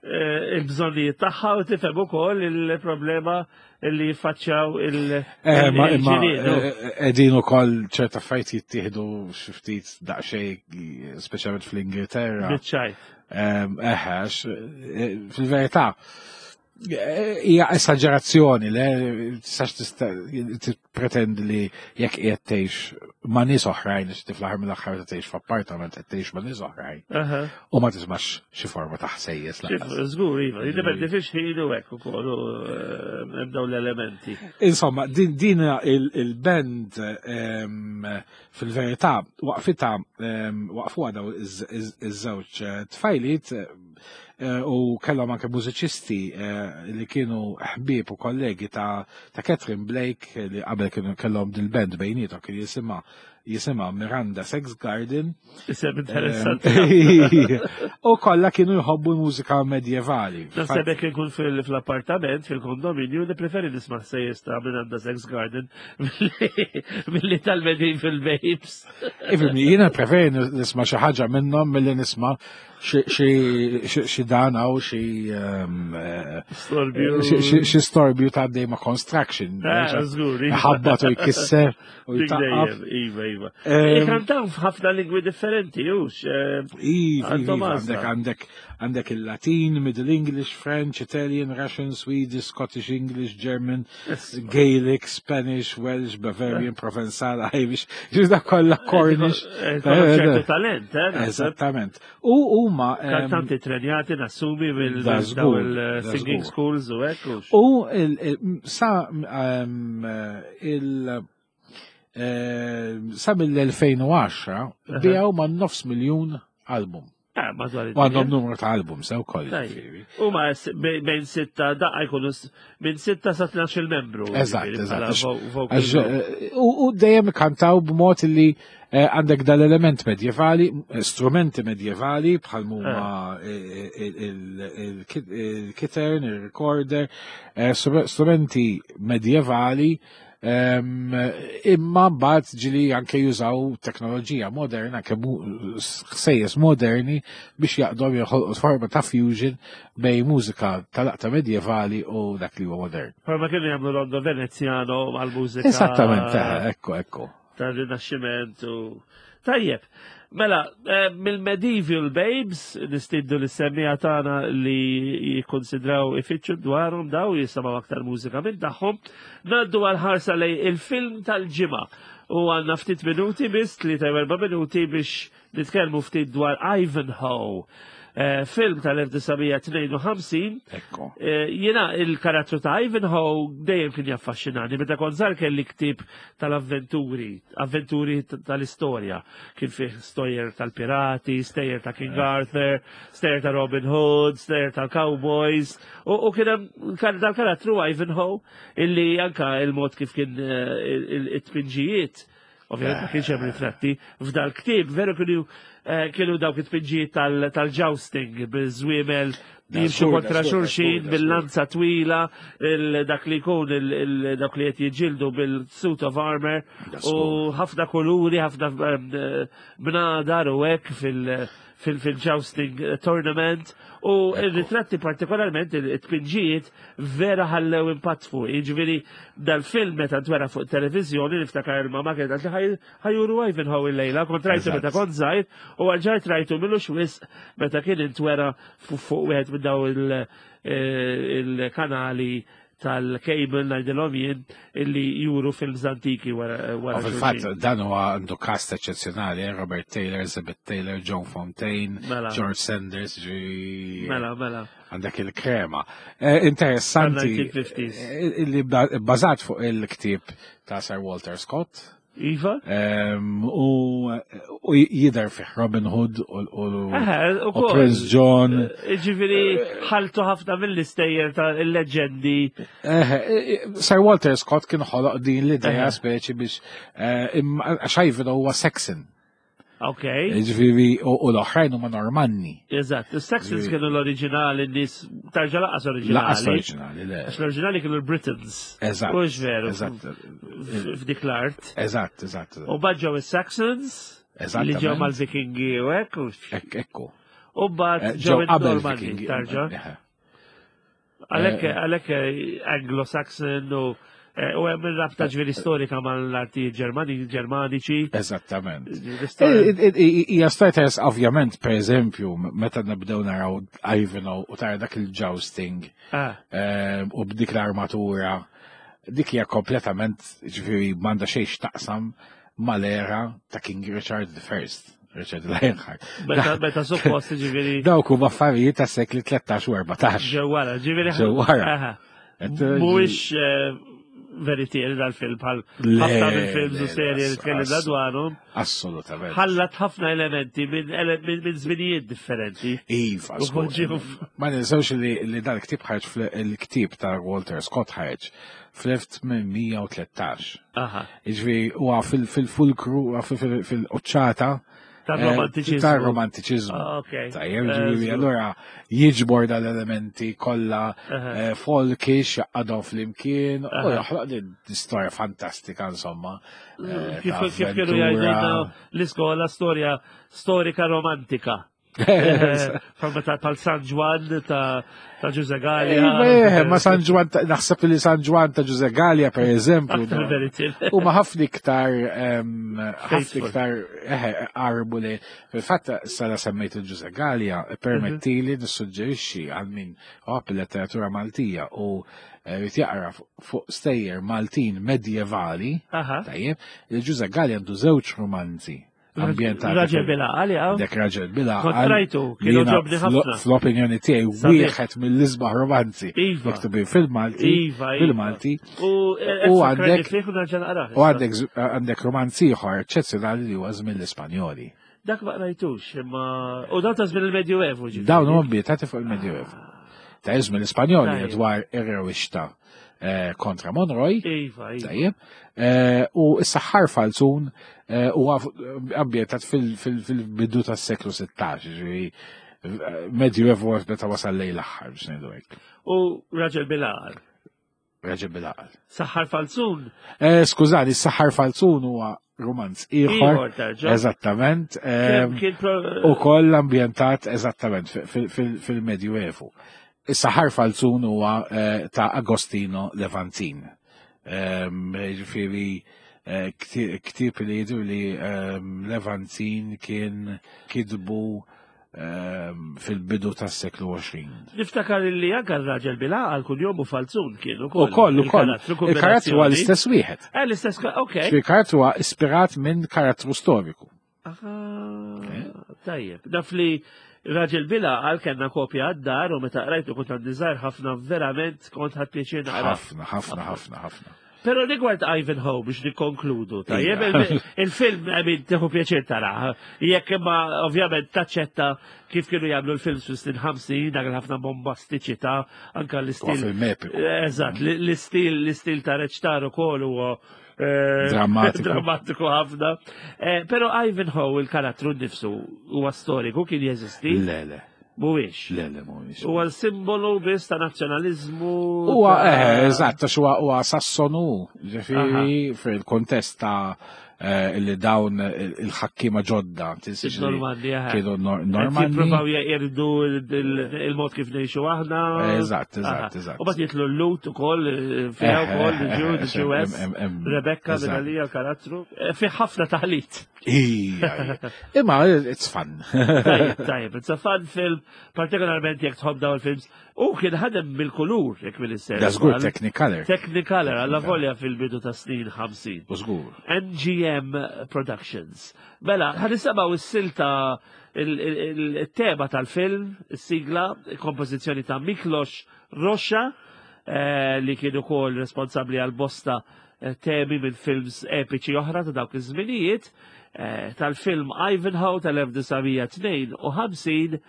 il-bżonnijiet tagħha u tifhem ukoll il-problema li jiffaċċjaw il-ġirien.
Qegħdin ukoll ċerta affarijiet jittieħdu xi ftit daqsxejn speċjalment fl-Ingilterra.
Biċċajt.
Eħe, eh, fil-verità, eh, hija esagerazzjoni, le, tistax tippretendi li jekk qiegħed tgħix ma' nies oħrajn, għax tiflaħar mill-aħħar ta' tgħix f'appartament qed tgħix ma' nies oħrajn. U ma tismax xi forma ta' ħsejjes
lanqas. Żgur, iva, jiddependi fiex ħin u hekk ukoll eh, hemm dawn l-elementi.
Insomma, din il-band Fil-verità, waqfitha waqfuha daw iż-żewġ eh, tfajliet eh, u kellhom anke mużiċisti eh, li kienu ħbieb u kollegi ta' Catherine Blake li qabel kienu kellhom dil-band bejnietom kien jisimha jisimha Miranda Sex Garden.
Isem interessanti.
U kollha kienu jħobbu l-mużika medjevali.
Naħseb jekk inkun fil-appartament, fil-kondominju, nippreferi nisma' sejjes ta' Miranda Sex Garden Milli tal-Medieval Babes.
Ifimni, jiena preferi nisma xi ħaġa minnhom milli nisma xi dan hawn xi ehm, eh, xi storbju ta' dejma construction.
Ah, żgur.
Iva. Ħabbat u jkisser u
jtaqqab. Iva, iva. Ehm, Ikantaw f'ħafna lingwi differenti, hux. Eh,
iva, iva, għandek għandek għandek il-Latin, Middle English, French, Italian, Russian, Swedish, Scottish English, German, Gaelic, Spanish, Welsh, Bavarian, Provenzal, Irish, ġiż kollha Cornish.
Eh, eh, talent, eh?
Eżattament. U huma.
Kantanti trenjati nassumi mill-singing schools u hekk.
U sa il- sa mill-2010 bijaw ma' nofs miljun album.
Ah, madwar
U għandhom numru ta' album sew koll.
U ma bejn sitta daqqa jkunu minn sitta sa 12 membru.
Eżatt, eżatt. Eh, u dejjem kantaw b'mod li eh, għandek dal-element medjevali, eh, strumenti medjevali bħal huma il-kitern, il-recorder, strumenti medjevali Imma mbagħad ġili anke jużaw teknoloġija moderna, anke ħsejjes moderni biex jaqdhom joħolqu forma ta' fusion bej mużika tal-aqta medjevali u dak li huwa modern.
Forma kienu jagħmlu Rondo Veneziano għal-mużika.
Esattament, eh, ekku, ekku.
Tar-Rinaxximent u Tajjeb, mela, eh, mill-Medieval Babes, nistiddu li semmija tagħna li jikkonsidraw ifittxu dwarhom daw jisimgħu aktar mużika minn tagħhom, ngħaddu għal ħarsa lej il-film tal-ġimgħa. U għandna ftit minuti biss, 3 minuti biex Nitkellmu ftit dwar Ivanhoe. Eh, film tal-1952.
Ekku.
Eh, jiena il-karattru ta' Ivanhoe dejjem kien jaffaxxinani. Meta kont żgħar kelli ktieb tal-avventuri, avventuri tal-istorja. Kien fih storjer tal-pirati, stejjer ta' King eh. Arthur, stejjer ta' Robin Hood, stejjer tal-Cowboys. U kien hemm dal-karattru Ivanhoe illi anka il-mod kif kien it-tpinġijiet Ovvjament ma kienx hemm ritratti. F'dal ktieb veru kienu eh, kienu dawk it-tpinġijiet tal-jousting biż-żwiemel jimxu kontra xulxin bil-lanza twila, dak li jkun dak li qed jiġġieldu bil-suit of armor u ħafna kuluri, ħafna eh, bnadar u hekk fil- fil-jousting tournament u il-ritratti partikolarment il-tpinġijiet vera ħallew impatt fuq. Jiġifieri dal-film meta ntwera fuq televizjoni niftakar il-mama kienet li ħajuru Ivanhoe il-lejla, kont rajtu meta kont żgħir u għalġajt rajtu millu wisq meta kien intwera fuq wieħed minn daw eh, il-kanali tal-cable ngħidilhom jien illi juru films antiki wara wara.
Fil-fatt dan huwa għandu cast eċċezzjonali, eh, Robert Taylor, Elizabeth Taylor, John Fontaine, mela. George Sanders, ġi.
Mela, mela.
Għandek il-krema. Eh, interessanti eh, illi bbażat fuq il-ktieb ta' Sir Walter Scott.
Iva?
U jider fih Robin Hood u Prince John.
Eh, ġifiri, ħaltu ħafna mill-istejjer ta' il-leġendi.
Sir Walter Scott kien ħoloq din l-ideja speċi biex eh, għax Ivan huwa Saxon.
Ok.
Ġifieri u l-oħrajn huma Normanni.
Eżatt, is-Saxons kienu l-oriġinali nies tarġa laqas oriġinali.
Laqas oriġinali, le.
Għax l-oriġinali kienu l-Britons.
Eżatt.
Mhux veru.
Eżatt.
F'dik l-art.
Eżatt, eżatt.
U mbagħad ġew is-Saxons.
Eżatt.
Li ġew mal-Vikingi u hekk.
Ekku.
U mbagħad eh, ġew qabel tarġa. Għalhekk eh, għalhekk eh, Anglo-Saxon u eh, u hemm rabta ġifieri storika mal-arti Ġermaniċi.
Eżattament. Hija storja ovvjament, per eżempju, meta nibdew naraw Ivanhoe u tara dak il-jousting ah. u b'dik l-armatura, dik hija kompletament ġifieri m'għandha xejn x'taqsam mal-era ta' King Richard I. Richard Lionheart.
Meta suppost ġifieri.
Dawk huma affarijiet ta' sekli 13 u 14.
Ġewwara, ġifieri.
Ġewwara.
Mhuwiex eh, veritier dal-film bħal ħafna mill-films u serje li tkellimna dwarhom.
Assolutament.
Ħallat ħafna elementi minn żminijiet differenti.
Iva, ma ninsewx li dal-ktieb ħarġ fil-ktieb ta' Walter Scott ħarġ fl-1813. Iġvi, huwa fil-fulkru, fil-qoċċata.
Tal-romantiċizmu.
Tal-romantiċizmu.
Ah,
Tajjeb, ġifieri, allura jiġbor dal-elementi kollha eh, folkish, jaqadhom flimkien, u joħloq din storja fantastika, insomma.
Eh, kif kienu jgħidulna l-iskola storja storika romantika. Palma ta' pal San Ġwan ta' ta' Ġuże Gallia.
Eh, ma San Ġwan, naħseb li San Ġwan ta' Ġuże Gallia, per eżempju. U ma ħafna iktar, ħafna iktar eh, arbu li, fil-fatt sala semmejt il-Ġuże Gallia, permettili mhm. nissuġġerixxi għal min għab il-letteratura Maltija u eh, rrid jaqra fuq stejjer Maltin medjevali, tajjeb, il-Ġuże Gallia għandu żewġ romanzi ambjentati.
Raġel bil-għaqal, jgħaw.
Dek raġel bil-għaqal.
Kont rajtu, kienu ġobni ħafna.
Fl-opinjoni tiegħi wieħed mill-isbaħ romanzi.
Iva.
Miktubin fil-Malti.
Iva, iva.
Fil-Malti.
U
eh, għandek
U
għandek għandek romanzi ieħor eċċezzjonali li huwa żmien l-Ispanjoli.
Dak ma rajtux, imma u dawn ta' żmien il-Medjuevu
ġifieri. Dawn huma ambjentati fuq il-Medjuevu. Ta' żmien l-Ispanjoli dwar ir-rewixta eh, kontra Monroy.
Iva, iva.
Tajjeb. Eh, u s-saħħar falzun eh, huwa ambjentat fil-bidu tas-seklu 16, ġifieri Medjuevu meta wasal lejn l-aħħar biex ngħidu hekk.
U raġel bil-għaqal.
Raġel bil-għaqal.
Saħħar falzun.
Skużani, s-saħħar falzun huwa romanz ieħor. Eżattament. U koll ambjentat eżattament fil-Medjuevu. Is-saħar falzun huwa eh, ta' Agostino Levantin. Ġifieri eh, ktieb li jidher li Levantin kien kitbu fil-bidu tas-seklu 20.
Niftakar li anka r-raġel bil-għaqal kull jom u falzun kienu.
Ukoll, ukoll. Il-karattru huwa l-istess wieħed.
Eh, l-istess, ok.
Il-karattru huwa ispirat minn karattru storiku.
Tajjeb, naf li raġel bil-għaqal kellna kopja għad-dar u meta qrajtu kont għandi żgħir ħafna verament kont ħadd pjaċir naqra.
Ħafna, ħafna, ħafna, ħafna.
Pero rigward Ivanhoe biex nikkonkludu, tajjeb, il-film għamin teħu pjaċir tara. Jekk imma ovvjament taċċetta kif kienu jagħmlu l-films fis-snin 50, dak ħafna bombastiċità, anka l-istil. Eżatt, l-istil l-istil ta' reċtar ukoll huwa eh,
drammatiku.
drammatiku ħafna. Eh, pero Ivanhoe il-karattru nnifsu huwa storiku kien jeżisti.
Le, le.
Mhuwiex.
Le, le, mhuwiex.
Huwa simbolu biss ta' nazzjonaliżmu.
Huwa eh, eżatt, għax huwa huwa Sassonu, ġifieri fil-kontest ta' eh, li dawn il-ħakkiema ġodda,
tinsiex Normanni, eh.
kienu Normanni.
Jippruvaw jeqirdu il-mod kif ngħixu aħna.
Eżatt, eżatt, eżatt.
U bad jitlu l-lut ukoll, eh, fiha wkoll, il-ġew, Rebecca, Benalija, l-karattru. Fi ħafna taħlit.
Ija, imma it's fun.
Tajjeb, tajjeb, it's a fun film, partikolarment jekk tħobb dawn il-films. U kien ħadem bil-kulur, jekk minn is
Da żgur Technicolor.
Technicolor, għalla volja fil-bidu ta' snin 50.
U żgur.
MGM Productions. Mela, ħan nisimgħu s-silta il-tema tal-film, is-sigla, kompożizzjoni ta' Miklos Roxa, eh, li kien ukoll responsabbli għal bosta Eh, temi minn films epiċi oħra ta' dawk iż-żminijiet, eh, tal-film Ivanhoe tal-1952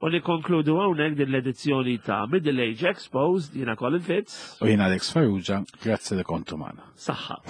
u nikkonkludu hawnhekk din l-edizzjoni ta' Middle Age Exposed jiena Colin Fitz.
U jiena Alex Farrugia, grazzi li kontu magħna.
Saħħa.